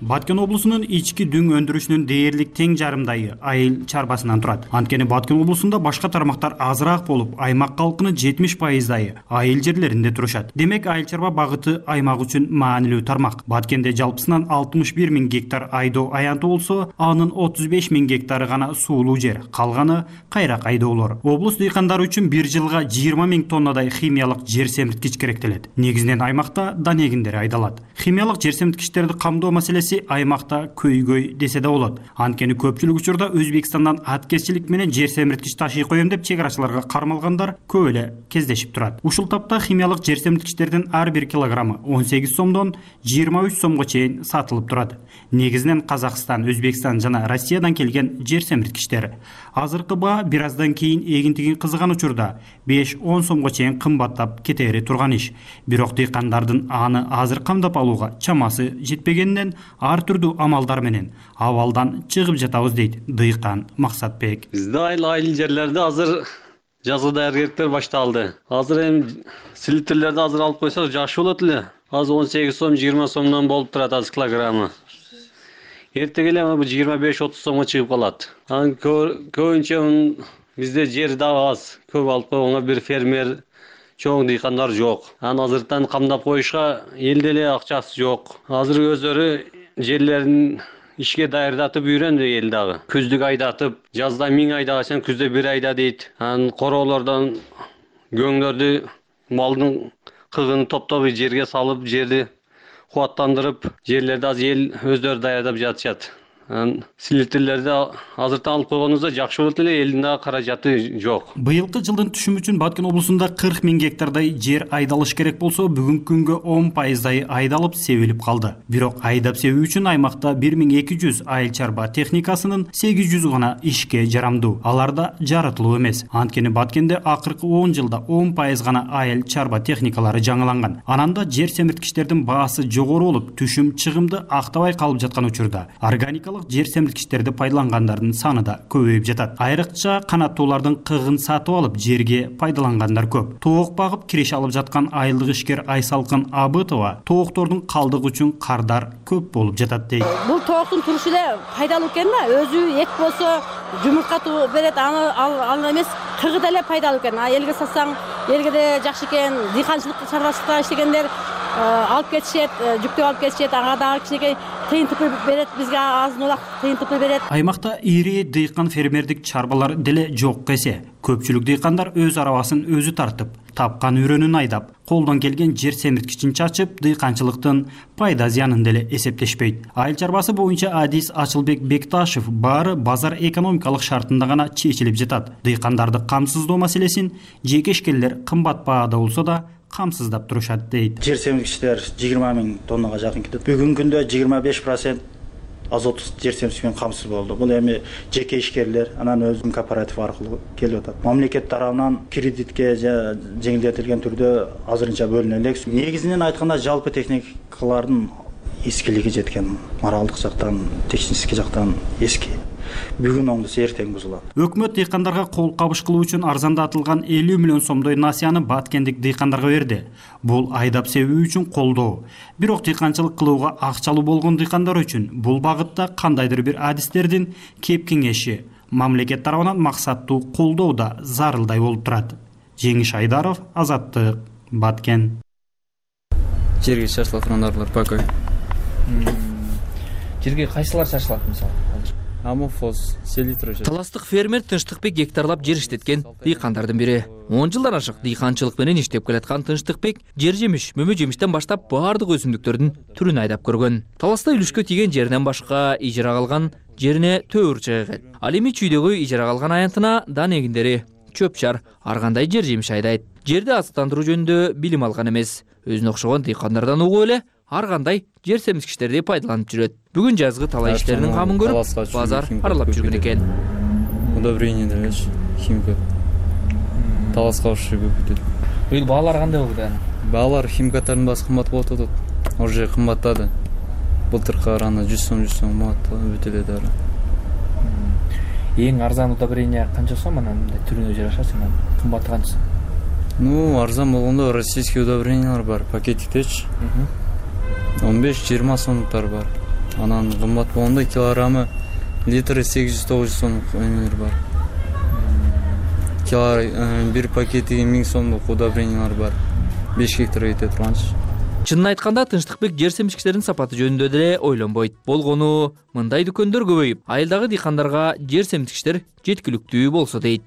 Баткен облусунун ички дүң өндүрүшүнүн дээрлик тең жарымдайы айыл чарбасынан турат. Анткени Баткен облусунда башка тармактар азыраак болуп, аймак калкынын 70%дайы айыл жерлеринде турушат. Демек, айыл чарба багыты аймак үчүн маанилүү тармак. Баткенде жалпысынан 61 000 гектар айдоо аянты болсо, анын 35 000 гектары гана суулуу жер, калганы кайрак айдоолор. Облус дыйкандары үчүн бир жылга 20 000 тоннадай химиялык жер семирткич керектелет. Негизинен аймакта данегиндер айдалат. Химиялык жер семирткичтерди камдоо маселеси аймакта көйгөй десе да болот. Анткени көпчүлүк учурда Өзбекстандан аткезчилик менен жер семирткич ташый коем деп чек арачыларга кармалгандар көп эле кездешип турат. Ушул тапта химиялык жер семирткичтердин ар бир килограммы 18 сомдон 23 сомго чейин сатылып турат. Негизинен Казакстан, Өзбекстан жана Россиядан келген жер семирткичтер. Азыркы баа бир аздан кийин эгинтигин кызыган учурда 5-10 сомго чейин кымбаттап кетери турган иш. Бирок дыйкандардын аны азыр камдап алууга чамасы жетпегенинен ар түрдүү амалдар менен абалдан чыгып жатабыз дейт дыйкан Максатбек. Бизде айыл жерлерде азыр жазгы даярдыктар башталды. Азыр эми селитрлерди азыр алып койсок жакшы болот эле. Азыр 18 сом, 20 сомдон болуп турат азыр килограммы. Эртең эле 25-30 сомго чыгып калат. Анан көбүнчө бизде жер да аз. Көп алып койгонго бир фермер чоң дыйкандар жок. Анан азыртан камдап коюшка элде эле акчасы жок. Азыр өздөрү жерлерин ишке даярдатып үйрөндү эл дагы. Күздүк айдатып, жазда 1000 айдагачан күздө 1 айда дейт. Анан короолордон көңдөрдү малдын кыгын топтоп жерге салып, жерди кубаттандырып, жерлерди азыр эл өздөрү даярдап жатышат. Селитрлерди азыртан алып койгонубузда жакшы болот эле, элдин дагы каражаты жок. Быйылкы жылдын түшүмү үчүн Баткен облусунда 40 000 гектардай жер айдалыш керек болсо, бүгүнкү күнгө 10%дай айдалып, себилип калды. Бирок айдап себүү үчүн аймакта 1200 айыл чарба техникасынын 800 гана ишке жарамдуу. Аларда жарытылуу эмес. Анткени Баткенде акыркы 10 жылда 10% гана айыл чарба техникалары жаңыланган. Ананда жер семирткичтердин баасы жогору болуп, түшүм чыгымды актабай калып жаткан учурда органикалык жер семирткичтерди пайдалангандардын саны да көбөйүп жатат. Айрыкча канаттуулардын кыгын сатып алып, жерге пайдалангандар көп. Тоок багып киреше алып жаткан айылдык ишкер Айсалкын Абытова тооктордун калдыгы үчүн кардар көп болуп жатат дейт. Бул тооктун турушу эле пайдалуу экен да, өзү эт болсо жумуртка берет, ал эмес кыгы деле пайдалуу экен. Элге сатсаң, элге де жакшы экен. Дыйканчылык чарбачылыкта иштегендер алып кетишет, жүктөп алып кетишет, ага дагы кичинекей тыйынтык берет, бизге азын улак тыйынтык берет. Аймакта ири дыйкан фермердик чарбалар деле жок эсе. Көпчүлүк дыйкандар өз арабасын өзү тартып, тапкан үрөнүн айдап, колдон келген жер семирткичин чачып, дыйканчылыктын пайда зыянын деле эсептешпейт. Айыл чарбасы боюнча адис Ачылбек Бекташев баары базар экономикалык шартында гана чечилип жатат. Дыйкандарды камсыздоо маселесин жеке ишкерлер кымбат баада болсо да камсыздап турушат дейт. Жер семирткичтер 20 000 тоннага жакын кетет. Бүгүнкү күндө 25% азот жер семирткичинен камсыз болду. Бул эми жеке ишкерлер, анан өзүнүн кооператив аркылуу келип атат. Мамлекет тарабынан кредитке жеңилдетилген түрдө азырынча бөлүнө элек. Негизинен айтканда жалпы техникалардын эскилиги жеткен, моралдык жактан, технический жактан эски. Бүгүн оңдуса эртең бузулат. Өкмөт дыйкандарга кол кабыш кылуу үчүн арзандатылган 50 миллион сомдой насыяны баткендик дыйкандарга берди. Бул айдап себүү үчүн колдоо. Бирок дыйканчылык кылууга акчалуу болгон дыйкандар үчүн бул багытта кандайдыр бир адистердин кеп кеңеши мамлекет тарабынан максаттуу колдоо да зарылдай болуп турат. Жеңиш Айдаров, Азаттык, Баткен. Жерге чачыла турган пока. Жерге кайсылар чачылат мисалы? Амофоз, селитра. Таластык фермер Тынчтыкбек гектарлап жер иштеткен дыйкандардын бири. 10 жылдан ашык дыйканчылык менен иштеп келаткан Тынчтыкбек жер жемиш, мөмө жемиштен баштап баардык өсүмдүктөрдүн түрүн айдап көргөн. Таласта үлүшкө тийген жеринен башка ижара калган жерине төөр чыгат. Ал эми чүйдөгү ижара калган аянтына дан эгиндери, чөп-чар, ар кандай жер жемиш айдайт. Жерди азыктандыруу жөнүндө билим алган эмес. Өзүнө окшогон дыйкандардан угуп эле ар кандай жер семизгичтерди пайдаланып жүрөт. Бүгүн жазгы талай иштеринин камын көрүп, базар аралап жүргөн экен. Удобрение делеш, химика. Таласка ошо көп өтөт. Бул баалар кандай болду аны? Баалар химикаттардын баасы кымбат болуп атат. Уже кымбаттады. Былтыркы караганда 100 сом манат өтөлөт дары. Эң арзан удобрение канча сом анан түрүнө жараша сен кымбаты канча? Арзан болгондо российский удобрениялар бар, пакетиктечи. 15-20 сомдуктар бар. Анан кымбат болгондо килограммы литры 800-900 сомдук эмелер бар. Бир пакетиги 1000 сомдук удобрениялар бар. 5 гектарга кете турганчы. Чынын айтканда Тынчтыкбек жер семизгичтердин сапаты жөнүндө деле ойлонбойт. Болгону мындай дүкөндөр көбөйүп, айылдагы дыйкандарга жер семизгичтер жеткиликтүү болсо дейт.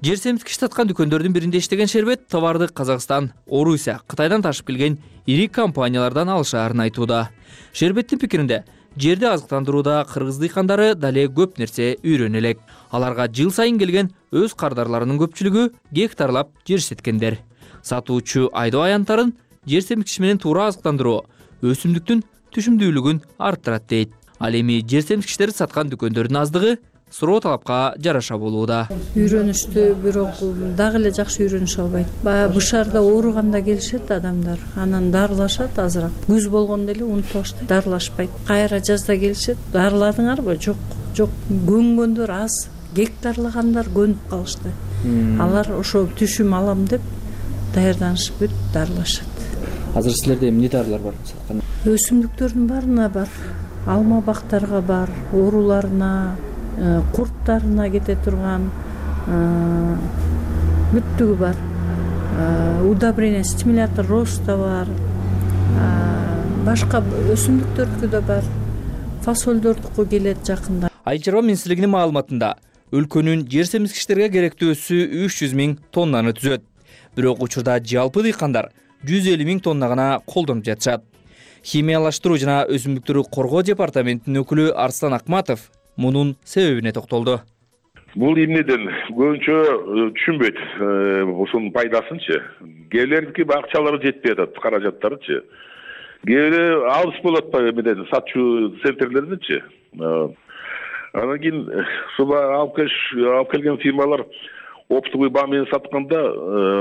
Жер семизгич саткан дүкөндөрдүн биринде иштеген Шербет товарды Казакстан, Орусия, Кытайдан ташып келген ири компаниялардан алышаарын айтууда. Шербеттин пикиринде, жерди азыктандырууда кыргыз дыйкандары дале көп нерсе үйрөнө элек. Аларга жыл сайын келген өз кардарларынын көпчүлүгү гектарлап жер иштеткендер. Сатуучу айдоо аянттарын жер семизгич менен туура азыктандыруу өсүмдүктүн түшүмдүүлүгүн арттырат дейт. Ал эми жер семизгичтерди саткан дүкөндөрдүн аздыгы суроо талапка жараша болууда. Үйрөнүштү, бирок дагы эле жакшы үйрөнүшө албайт. Баягы бышарда ооруганда келишет адамдар, анан дарылашат азыраак. Күз болгондо эле унутуп баштайт, дарылашпайт. Кайра жазда келишет, дарыладыңарбы? Жок, көнгөндөр аз, гектарлагандар көнүп калышты. Алар ошо түшүм алам деп даярданышып бүт дарылашат. Азыр силерде эмне дарылар бар саткан? Өсүмдүктөрдүн баарына бар. Алма бактарга бар, ооруларына, курттарына кете турган бүттүгү бар. Удобрение, стимулятор роста бар. Башка өсүмдүктөрдүкү да бар. Фасолдордуку келет жакында. Айыл чарба министрлигинин маалыматында өлкөнүн жер семизгичтерге керектүү өсү 300 000 тоннаны түзөт. Бирок учурда жалпы дыйкандар 150 000 тонна гана колдонуп жатышат. Химиялаштыруу жана өсүмдүктөрдү коргоо департаментинин өкүлү Арслан Акматов мунун себебине токтолду. Бул эмнеден көбүнчө түшүнбөйт ушунун пайдасынчы. Кээбилердики акчалары жетпей атат, каражаттарычы. Кээбири алыс болуп атпайбы эмеден сатчу центрлерденчи. Анан кийин алып келген фирмалар оптовый баа менен сатканда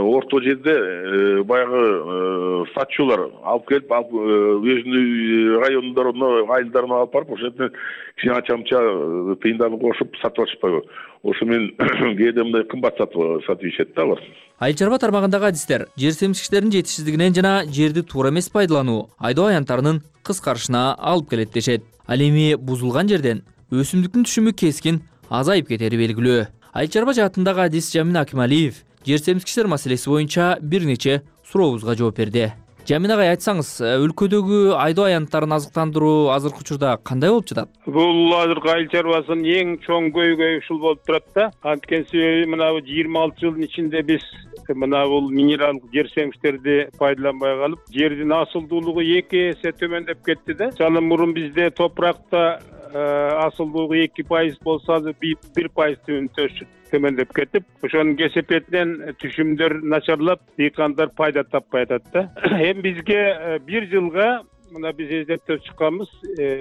орто жерде баягы сатчулар алып келип өзүнүн райондоруна, айылдарына алып барып ошол жерде кичине ача-муча тыйындарын кошуп сатып атышпайбы? Ошо менен кээде мындай кымбат сатып ишет да алар. Айыл чарба тармагындагы адистер жер семизгичтердин жетишсиздигинен жана жерди туура эмес пайдалануу айдоо аянттарынын кыскарышына алып келет дешет. Ал эми бузулган жерден өсүмдүктүн түшүмү кескин азайып кетери белгилүү. Айыл чарба жаатындагы адис Жамин Акималиев жер семизгичтер маселеси боюнча бир нече сурообузга жооп берди. Жамин агай, айтсаңыз, өлкөдөгү айдоо аянттарын азыктандыруу азыркы учурда кандай болуп жатат? Бул азыркы айыл чарбасынын эң чоң көйгөйү ушул болуп турат да. Анткени себеби мына 26 жылдын ичинде биз мына бул минералдык жер семизгичтерди пайдаланбай калып, жердин асылдуулугу 2 эсе төмөндөп кетти да. Жана мурун бизде топуракта асылдуулугу 2% болсо азыр 1% төмөндөп кетип, ошонун кесепетинен түшүмдөр начарлап, дыйкандар пайда таппай атат да. Эми бизге бир жылга мына биз эзептеп чыкканбыз,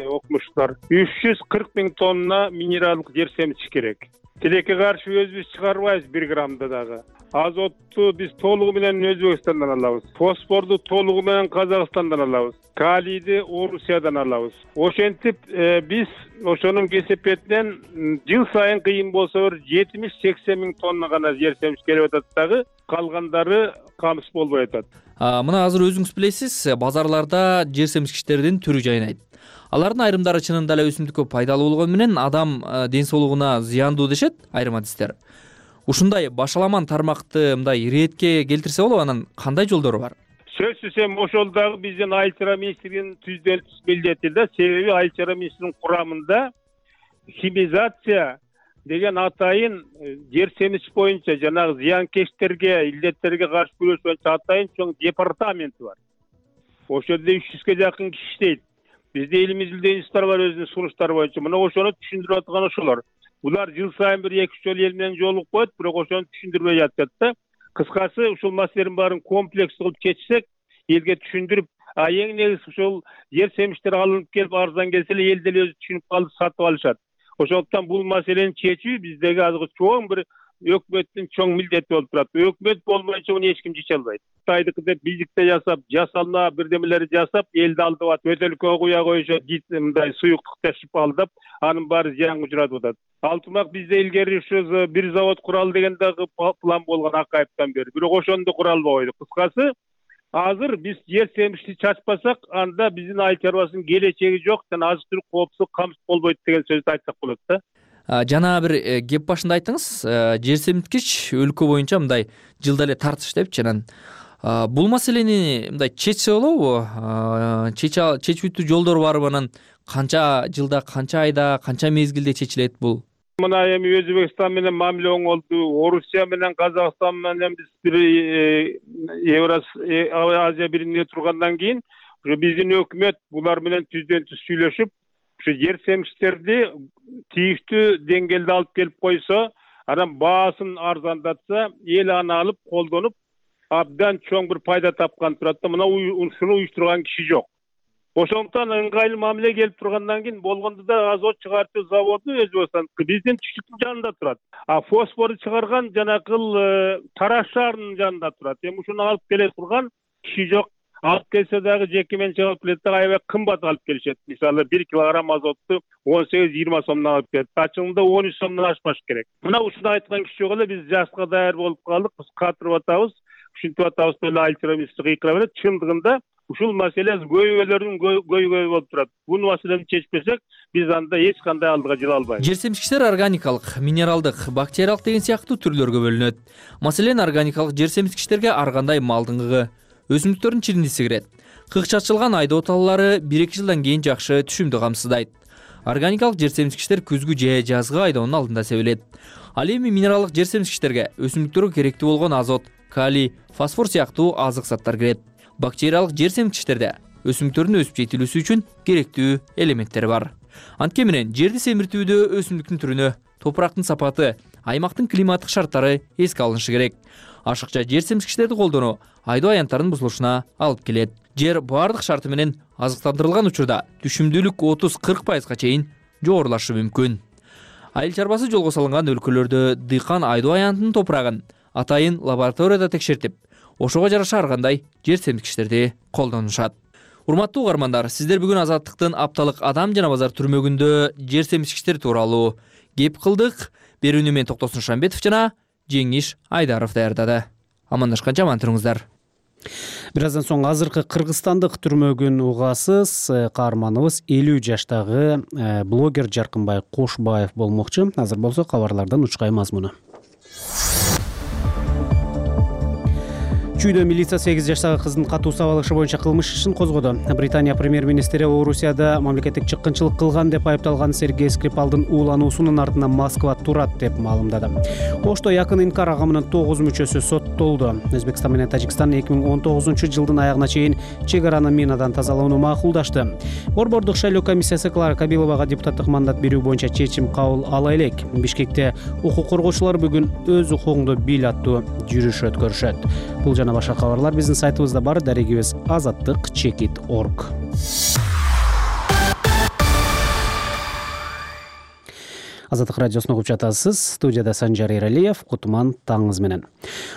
окумуштар 340 000 тонна минералдык жер семизгич керек. Тилекке каршы өзүбүз чыгарбайбыз 1 граммда дагы. Азотту биз толугу менен Өзбекстандан алабыз. Фосфорду толугу менен Казакстандан алабыз. Калийди Орусиядан алабыз. Ошентип биз ошонун кесепетинен жыл сайын кыйын болсо 70-80 миң тонна гана жер семиш келип атат дагы, калгандары камсыз болбой атат. Мына азыр өзүңүз билесиз, базарларда жер семишкичтердин түрү жайнайт. Алардын айрымдары чынында эле өсүмдүккө пайдалуу болгону менен адам ден соолугуна зыяндуу дешет айрым адистер. Ушундай башаламан тармакты мындай иретке келтирсе болобу, анан кандай жолдору бар? Сөзсүз эми ошол дагы биздин Айыл чарба министрлигинин түздөн түз милдети да, себеби Айыл чарба министрлигинин курамында химизация деген атайын жер семиш боюнча жанагы зыянкечтерге, илдеттерге каршы күрөш боюнча атайын чоң департаменти бар. Ошол жерде 300ге жакын киши иштейт. Бизде элимиздин институттар бар өзүнүн сунуштары боюнча. Мына ошону түшүндүрүп аткан ошолор. Булар жыл сайын 1-2 жолу эл менен жолугуп коет, бирок ошону түшүндүрбөй жатат да. Кыскасы ушул маселенин баарын комплекс кылып чечсек, элге түшүндүрүп, эң негизи ушул жер семиштер алынып келип арзан келсе эле эл деле өзү түшүнүп калып сатып алышат. Ошондуктан бул маселени чечүү биздеги азыркы чоң бир өкмөттүн чоң милдети болуп турат. Өкмөт болмойча муну эч ким чече албайт. Кытайдыкы деп бийликте жасап, жасалма бирдемелери жасап, элди алдап атып, өтөлкөгө куя коюшат, мындай суюктук ташып алдап, анын баары зыянга учуратып атат. Алтымак бизде илгери ушу бир завод куралы деген дагы план болгон Акаевден бери. Бирок ошону да кура албай койдук. Кыскасы, азыр биз жер семишти чачпасак, анда биздин айыл чарбасынын келечеги жок, жана азык-түлүк коопсуздук камсыз болбойт деген сөздү айтсак болот да. Жана бир кеп башында айттыңыз, жер семирткич өлкө боюнча мындай жылда эле тартыш депчи. Анан бул маселени мындай чечсе болобу? Чечүүтүү жолдору барбы? Анан канча жылда, канча айда, канча мезгилде чечилет бул? Мына эми Өзбекстан менен мамиле оңолду, Орусия менен Казакстан менен биз бир Азия бириминде тургандан кийин биздин өкмөт булар менен түздөн түз сүйлөшүп, ушу жер семиштерди тийиштүү деңгээлде алып келип койсо, анан баасын арзандатса, эл аны алып колдонуп, абдан чоң бир пайда тапкан турат да. Мына ушуну уюштурган киши жок. Ошондуктан ыңгайлуу мамиле келип тургандан кийин болгондо да азот чыгартуу заводу Өзбекстан биздин түштүктүн жанында турат. Фосфорду чыгарган жанакыл Тараш шаарынын жанында турат. Эми ушуну алып келе турган киши жок. Алып келсе дагы жеке менчик алып келет да, аябай кымбат алып келишет. Мисалы 1 килограмм азотту 18-20 сомдон алып келет. Ачыгында 13 сомдон ашпаш керек. Мына ушуну айткан киши жок эле, биз жашка даяр болуп калдык, биз катырып атабыз, ушинтип атабыз деле айыл чарба министри кыйкыра берет. Чындыгында ушул маселе көйгөйлөрдүн көйгөйү болуп турат. Бул маселени чечпесек, биз анда эч кандай алдыга жыла албайбыз. Жер семишкичтер органикалык, минералдык, бактериялык деген сыяктуу түрлөргө бөлүнөт. Маселен, органикалык жер семишкичтерге ар кандай малдын кыгы, өсүмдүктөрдүн чириндиси кирет. Кык чачылган айдоо таллары 1-2 жылдан кийин жакшы түшүмдү камсыздайт. Органикалык жер семишкичтер күзгү же жазгы айдоонун алдында себилет. Ал эми минералдык жер семишкичтерге өсүмдүктөргө керектүү болгон азот, калий, фосфор сыяктуу азык заттар кирет. Бактериялык жер семирткичтерде өсүмдүктөрдүн өсүп жетилүүсү үчүн керектүү элементтер бар. Анткени менен жерди семиртүүдө өсүмдүктүн түрүнө, топурактын сапаты, аймактын климаттык шарттары эске алынышы керек. Ашыкча жер семирткичтерди колдонуу айдоо аянттарынын бузулушуна алып келет. Жер баардык шарты менен азыктандырылган учурда түшүмдүүлүк 30-40% чейин жогорулашы мүмкүн. Айыл чарбасы жолго салынган өлкөлөрдө дыйкан айдоо аянтынын топурагын атайын лабораторияда текшертип, ошого жараша ар кандай жер семирткичтерди колдонушат. Урматтуу угармандар, сиздер бүгүн Азаттыктын апталык адам жана базар түрмөгүндө жер семирткичтер тууралуу кеп кылдык. Берүүнү мен Токтосун Шамбетов жана Жеңиш Айдаров даярдады. Амандашканча аман туруңуздар. Бир аздан соң азыркы кыргызстандык түрмөгүн угасыз. Каарманыбыз 50 жаштагы блогер Жаркынбай Кошбаев болмокчу. Азыр болсо кабарлардан учкай мазмуну. Чүйдө милиция 8 жаштагы кыздын катуу сабалышы боюнча кылмыш ишин козгоду. Британия премьер-министри Орусияда мамлекеттик чыккынчылык кылган деп айыпталган Сергей Скрипалдын уулануусунун артынан Москва турат деп маалымдады. Ошто якын инкар агымынын 9 мүчөсү соттолду. Өзбекстан менен Тажикстан 2019-жылдын аягына чейин чек араны минадан тазалоону макулдашты. Борбордук шайлоо комиссиясы Клара Кабиловага депутаттык мандат берүү боюнча чечим кабыл ала элек. Бишкекте укук коргоочулар бүгүн өз укугуңду бил аттуу жүрүш өткөрүшөт. Бул жана башка кабарлар биздин сайтыбызда бар. Дарегибиз azattik.org. Азаттык радиосуна угуп жатасыз. Студияда Санжар Эралиев. Кутман таңыңыз менен.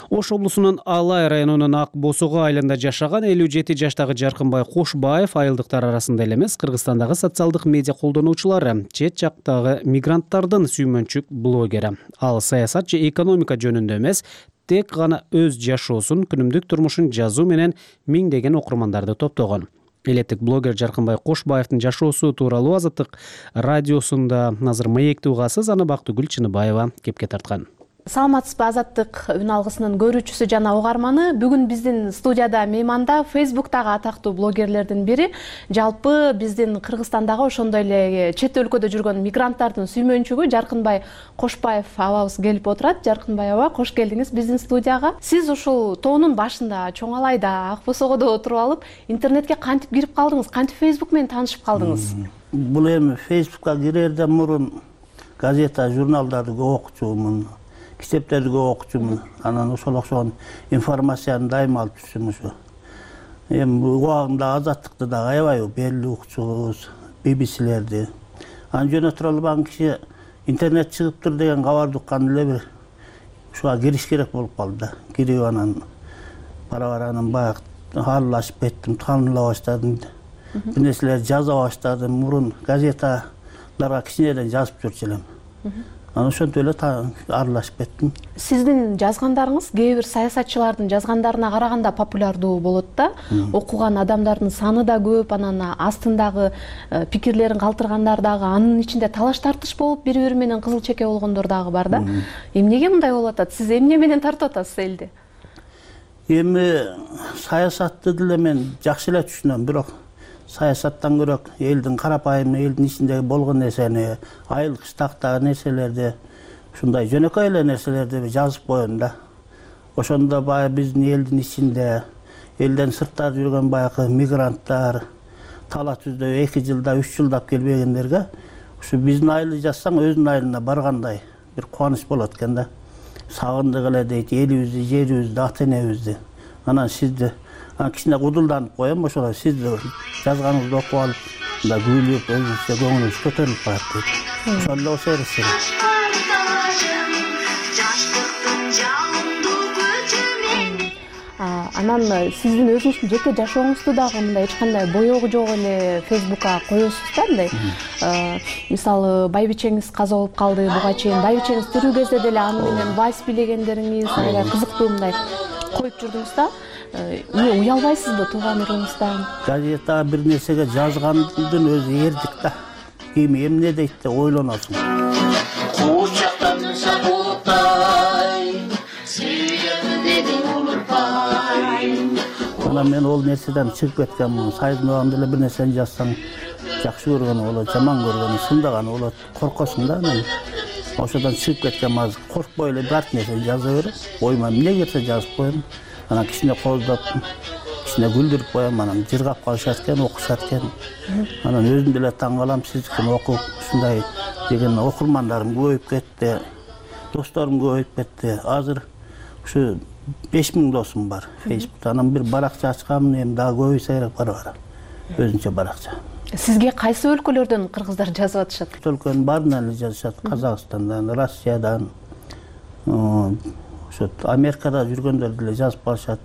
Ош облусунун Алай районунун Ак Босого айылында жашаган 57 жаштагы Жаркынбай Кошбаев айылдыктар арасында эле эмес, Кыргызстандагы социалдык медиа колдонуучулары, чет жактагы мигранттардын сүймөнчүк блогери. Ал саясат же экономика жөнүндө эмес, тек гана өз жашоосун, күнүмдүк турмушун жазуу менен миңдеген окурмандарды топтогон. Элеттик блогер Жаркынбай Кошбаевдин жашоосу тууралуу Азаттык радиосунда азыр маекти угасыз, аны Бактыгүл Чыныбаева кепке тарткан. Саламатсызбы, Азаттык үн алгысынын көрүүчүсү жана угарманы. Бүгүн биздин студияда мейманда Facebook'тагы атактуу блогерлердин бири, жалпы биздин Кыргызстандагы ошондой эле чет өлкөдө жүргөн мигранттардын сүймөнчүгү Жаркынбай Кошбаев абабыз келип отурат. Жаркынбай аба, кош келдиңиз биздин студияга. Сиз ушул тоонун башында, Чоң Алайда, Ак Босогодо отуруп алып, интернетке кантип кирип калдыңыз? Кантип Facebook менен таанышып калдыңыз? Бул эми Facebook'ка кирерден мурун газета, журналдарды көп окучумун. Китептерди көп окучумун. Анан ошол окшогон информацияны дайыма алып жүрчүмүн ушу. Эми убагында Азаттыкты да аябай белгилүү окучубуз, BBC-лерди. Анан жөнөтүрө албаган киши интернет чыгыптыр деген кабарды уккан эле бир ушуга кириш керек болуп калды да. Кирип анан бара-бара анан баягы аралашып кеттим, тааныла баштадым. Бир нерселерди жаза баштадым. Мурун газеталарга кичинеден жазып жүрчү элем. Анан ошентип эле аралашып кеттим. Сиздин жазгандарыңыз кээ бир саясатчылардын жазгандарына караганда популярдуу болот да. Окуган адамдардын саны да көп, анан астындагы пикирлерин калтыргандар дагы, анын ичинде талаш тартыш болуп, бири-бири менен кызыл чеке болгондор дагы бар да. Эмнеге мындай болуп атат? Сиз эмне менен тартып атасыз элди? Эми саясатты деле мен жакшы эле түшүнөм, бирок саясаттан көрөк элдин карапайым, элдин ичинде болгон нерсени, айыл кыштактагы нерселерди, ушундай жөнөкөй эле нерселерди жазып коем да. Ошондо баягы биздин элдин ичинде, элден сыртта жүргөн баягы мигранттар, тала түздө 2 жылда, 3 жылдап келбегендерге ушу биздин айылды жазсаң өзүнүн айылына баргандай бир кубаныч болот экен да. Сагындык эле дейт, элибизди, жерибизди, ата-энебизди. Анан сизди кичине кудулданып коем, ошол сизди жазганыңызды окуп алып, мындай күлүп, өзүнчө көңүлүбүз көтөрүлүп калат дейт. Ошол эле окшойт эсеге. Анан сиздин өзүңүздүн жеке жашооңузду дагы мындай эч кандай боёгу жок эле Facebook'ка коесуз да, мындай. Мисалы, байбичеңиз каза болуп калды, буга чейин байбичеңиз тирүү кезде деле аны менен вальс бийлегендериңиз аябай кызыктуу мындай коюп жүрдүңүз да. Эмне уялбайсызбы тууган урууңуздан? Газетага бир нерсеге жазгандын өзү эрдик да. Ким эмне дейт деп ойлоносуң. Кучактанса бултай, сүйгөндү улурбай. Анан мен ол нерседен чыгып кеткенмин. Сайдын убагында эле бир нерсени жазсаң, жакшы көргөнү болот, жаман көргөнү, сындаганы болот, коркосуң да. Мен ошодон чыгып кеткенмин. Азыр коркпой эле бир нерсени жаза берем. Ойма эмне келсе жазып коем. Анан кичине коздоп, кичине күлдүрүп коем, анан жыргап калышат экен, окушат экен. Анан өзүм деле таң калам, сиздикини окуп, ушундай деген окурмандарым көбөйүп кетти, досторум көбөйүп кетти. Азыр ушу 5000 досум бар Facebook'та. Анан бир баракча ачканмын, эми дагы көбөйсө керек бара-бара. Өзүнчө баракча. Сизге кайсы өлкөлөрдөн кыргыздар жазып атышат? Өлкөнүн баарынан эле жазышат. Казакстандан, Россиядан, ошо Америкада жүргөндөр деле жазып калышат.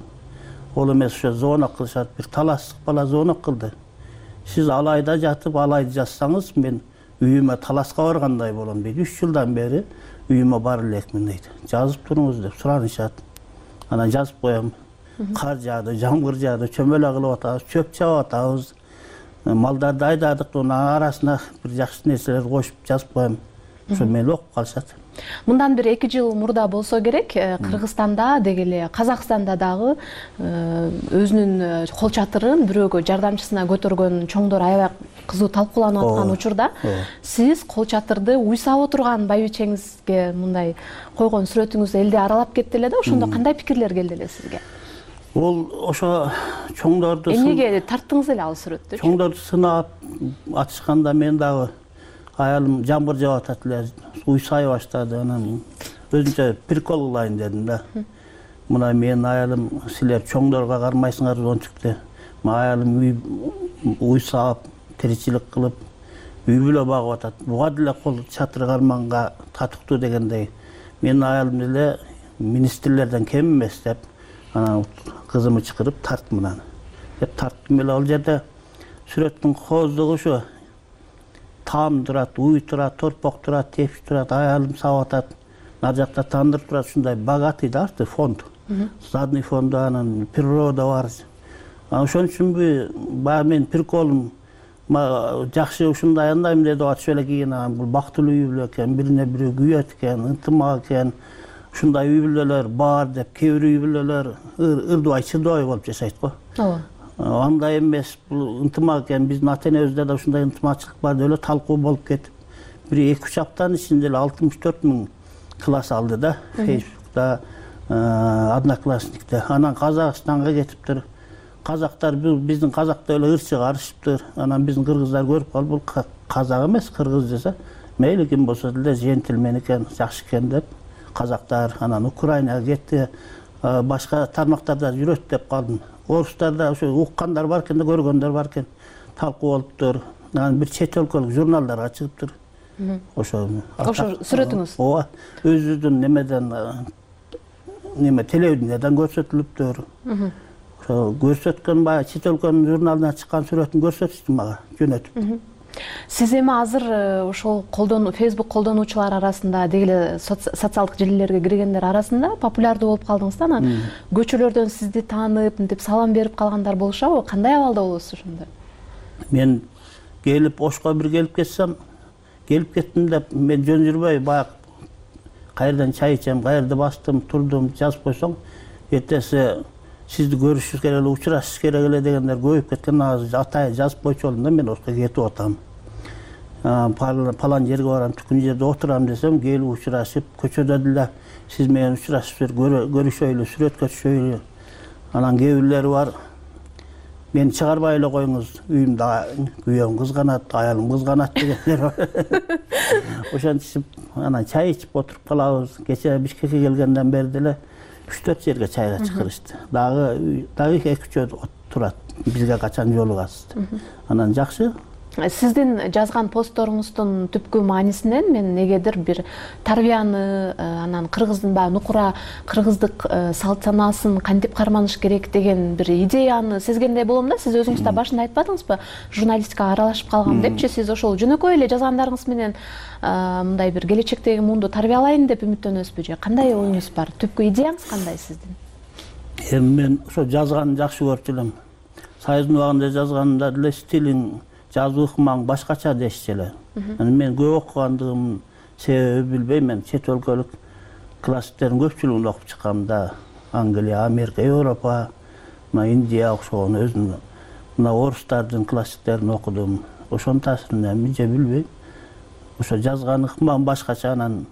Ол эмес ошо звонок кылышат. Бир таластык бала звонок кылды. Сиз Алайда жатып, Алайды жазсаңыз, мен үйүмө таласка баргандай болом дейт. 3 жылдан бери үйүмө бара элекмин дейт. Жазып туруңуз деп суранышат. Анан жазып коем. Кар жаады, жамгыр жаады, чөмөлө кылып атабыз, чөп чаап атабыз. Малдарды айдадык, анын арасына бир жакшы нерселер кошуп жазып коем. Ошо мени окуп калышат. Мындан бир 2 жыл мурда болсо керек, Кыргызстанда деги эле Казакстанда дагы өзүнүн кол чатырын бирөөгө жардамчысына көтөргөн чоңдор аябай кызуу талкууланып аткан учурда сиз кол чатырды уйсап отурган байбичеңизге мындай койгон сүрөтүңүз элди аралап кетти эле да. Ошондо кандай пикирлер келди эле сизге? Ол ошо чоңдорду эмнеге тарттыңыз эле ал сүрөттү? Чоңдорду сынап атышканда мен дагы аялым жамгыр жаап атат эле, уйсай баштады. Анан өзүнчө прикол кылайын дедим да. Мына менин аялым, силер чоңдорго кармайсыңар ончукты. Аялым уйсап, тиричилик кылып, үй бүлө багып атат. Буга деле кол чатыр карманга татыктуу дегендей. Менин аялым деле министрлерден кем эмес деп анан кызымы чакырып тарттым анан. Деп тарттым эле ал жерде сүрөттүн кооздугу ушу. Таам турат, уй турат, торпок турат, тепиш турат, аялым сабап атат. Нар жакта тандыр турат, ушундай богатый да фонд. Задний фонду анан природа бар. Ошон үчүнбү баягы мен приколум жакшы ушундай андайм деп атышып эле кийин бул бактылуу үй бүлө экен, бирине бири күйөт экен, ынтымак экен. Ушундай үй бүлөлөр бар деп, кээ бир үй бүлөлөр ырдыбай чыдабай болуп жашайт го. Ооба. Андай эмес, бул ынтымак экен. Биздин ата-энебизде да ушундай ынтымакчылык бар деп эле талкуу болуп кетип, бир 2-3 аптанын ичинде эле 64 000 класс алды да, Facebook'ta, Одноклассникте. Анан Казакстанга кетиптир. Казактар биздин казакта эле ыр чыгарышыптыр. Анан биздин кыргыздар көрүп калып, бул казак эмес, кыргыз десе, мейли ким болсо деле жентилмен экен, жакшы экен деп казактар анан Украинага кетти. Башка тармактарда жүрөт деп калдым. Орустарда ошо уккандар бар экен да, көргөндөр бар экен. Талкуу болуптур. Анан бир чет өлкөлүк журналдарга чыгыптыр. Ошо сүрөтүңүз? Ооба, өзүбүздүн немеден телевидениеден көрсөтүлүптүр. Ошо көрсөткөн баягы чет өлкөнүн журналына чыккан сүрөтүн көрсөтүштү мага, жөнөтүп. Сиз эми азыр ошол Facebook колдонуучулар арасында, дегеле социалдык желилерге киргендер арасында популярдуу болуп калдыңыз да. Анан көчөлөрдөн сизди таанып, мынтип салам берип калгандар болушабы? Кандай абалда болосуз ошондо? Мен келип Ошко бир келип кеттим деп, мен жөн жүрбөй баягы кайерден чай ичем, кайерде бастым, турдум, жазып койсоң, эртеси сизди көрүшүбүз керек эле, учурашышыбыз керек эле дегендер көбөйүп кеткен. Азыр атайын жазып койчу болдум да, мен Ошко кетип атам. Палан жерге барам, түкүн жерде отурам десем, келип учурашып, көчөдө деле сиз менен учурашып көрүшөйлү, сүрөткө түшөйлү. Анан кээ бирлери бар, мени чыгарбай эле коюңуз, үйүмдө күйөөм кызганат, аялым кызганат дегендер бар. Ошентип анан чай ичип отуруп калабыз. Кечээ Бишкекке келгенден бери деле 3-4 жерге чайга чакырышты. Дагы 2-3 турат, бизге качан жолугасыз. Анан жакшы. Сиздин жазган постторуңуздун түпкү маанисинен мен негедир бир тарбияны, анан кыргыздын баягы нукура кыргыздык салт санаасын кантип карманыш керек деген бир идеяны сезгендей болом да. Сиз өзүңүз да башында айтпадыңызбы, журналистикага аралашып калгам депчи? Сиз ошол жөнөкөй эле жазгандарыңыз менен мындай бир келечектеги муунду тарбиялайын деп үмүттөнөсүзбү же кандай оюңуз бар? Түпкү идеяңыз кандай сиздин? Мен ошо жазганды жакшы көрчү элем. Союздун убагында жазганда деле стилиң, жазуу ыкмаң башкача дешчү эле. Мен көп окугандыгым себеби билбейм, мен чет өлкөлүк классиктердин көпчүлүгүн окуп чыккам да. Англия, Америка, Европа, Индия окшогон өзүм мына орустардын классиктерин окудум. Ошонун таасиринен же билбейм. Ошо жазган ыкмам башкача, анан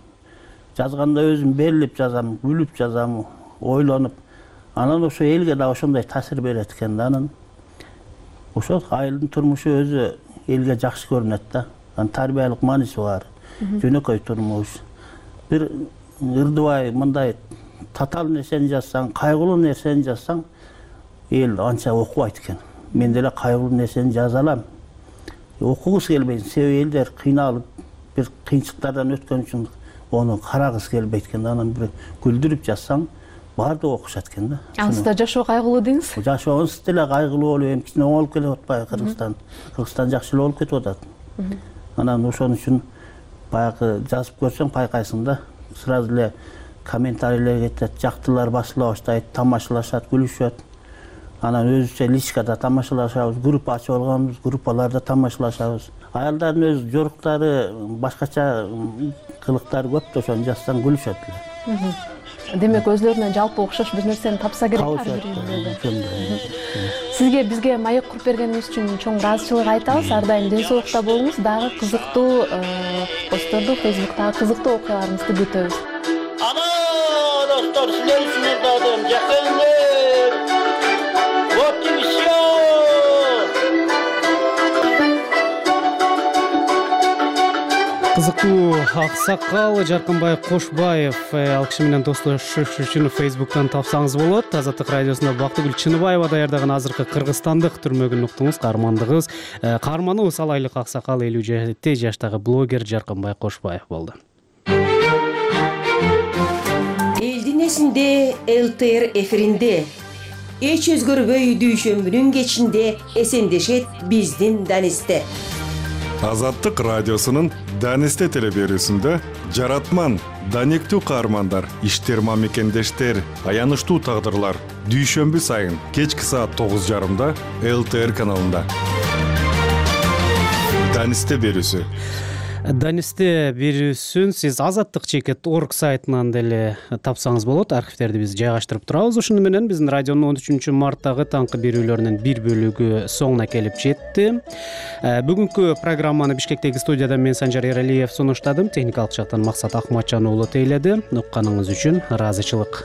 жазганда өзүм берилип жазам, күлүп жазам, ойлонуп. Анан ошо элге да ошондой таасир берет экен да. Анан ошо айылдын турмушу өзү элге жакшы көрүнөт да. Анан тарбиялык мааниси бар. Жөнөкөй турмуш. Бир ырдыбай мындай татаал нерсени жазсаң, кайгылуу нерсени жазсаң, эл анча окубайт экен. Мен деле кайгылуу нерсени жаза алам. Окугус келбейт, себеби элдер кыйналып, бир кыйынчылыктардан өткөн үчүн ону карагысы келбейт экен. Анан бир күлдүрүп жазсаң, баардыгы окушат экен да. Анысында жашоо кайгылуу дейсиз? Жашообуз деле кайгылуу болуп, эми кичине оңолуп келип атпайбы Кыргызстан? Кыргызстан жакшы эле болуп кетип атат. Анан ошон үчүн баягы жазып көрсөң байкайсың да, сразу эле комментарийлер кетет, жактылар басыла баштайт, тамашалашат, күлүшөт. Анан өзүчө личкада тамашалашабыз, группа ачып алганбыз, группаларда тамашалашабыз. Аялдардын өз жоруктары, башкача кылыктары көп да, ошону жазсаң күлүшөт эле. Демек өзлөрүнө жалпы окшош бир нерсени тапса керек Сизге бизге маек куруп бергениңиз үчүн чоң ыраазычылык айтабыз. Ар дайым ден соолукта болуңуз. Дагы кызыктуу постторду, Facebook'тагы кызыктуу окуяларыңызды күтөбүз. Ана достор, силер үчүн ырдадым, жакыңдар. Вот и всё. кызыктуу аксакал Жаркынбай Кошбаев ал киши менен достошуш үчүн Facebook'тан тапсаңыз болот. Азаттык радиосунда Бактыгүл Чыныбаева даярдаган азыркы кыргызстандык түрмөгүн уктуңуз. Каарманыбыз ал айлык аксакал 57 жаштагы блогер Жаркынбай Кошбаев болду. Элдин эсинде ЛТР эфиринде эч өзгөрбөй дүйшөмбүнүн кечинде эсендешет биздин Данисте. Азаттык радиосунун Данисте телеберүүсүндө жаратман, данектүү каармандар, иштер мамекендештер, аянычтуу тагдырлар дүйшөмбү сайын кечки саат 9:30 ЛТР каналында. Данисте берүүсү. Данисте берүүсүн сиз azattik.org сайтынан деле тапсаңыз болот. Архивтерди биз жайгаштырып турабыз. Ошону менен биздин радионун 13 марттагы таңкы берүүлөрүнүн бир бөлүгү соңуна келип жетти. Бүгүнкү программаны Бишкектеги студияда мен Санжар Эралиев сунуштадым. Техникалык жактан Максат Акматжан уулу тейледи. Укканыңыз үчүн ыраазычылык.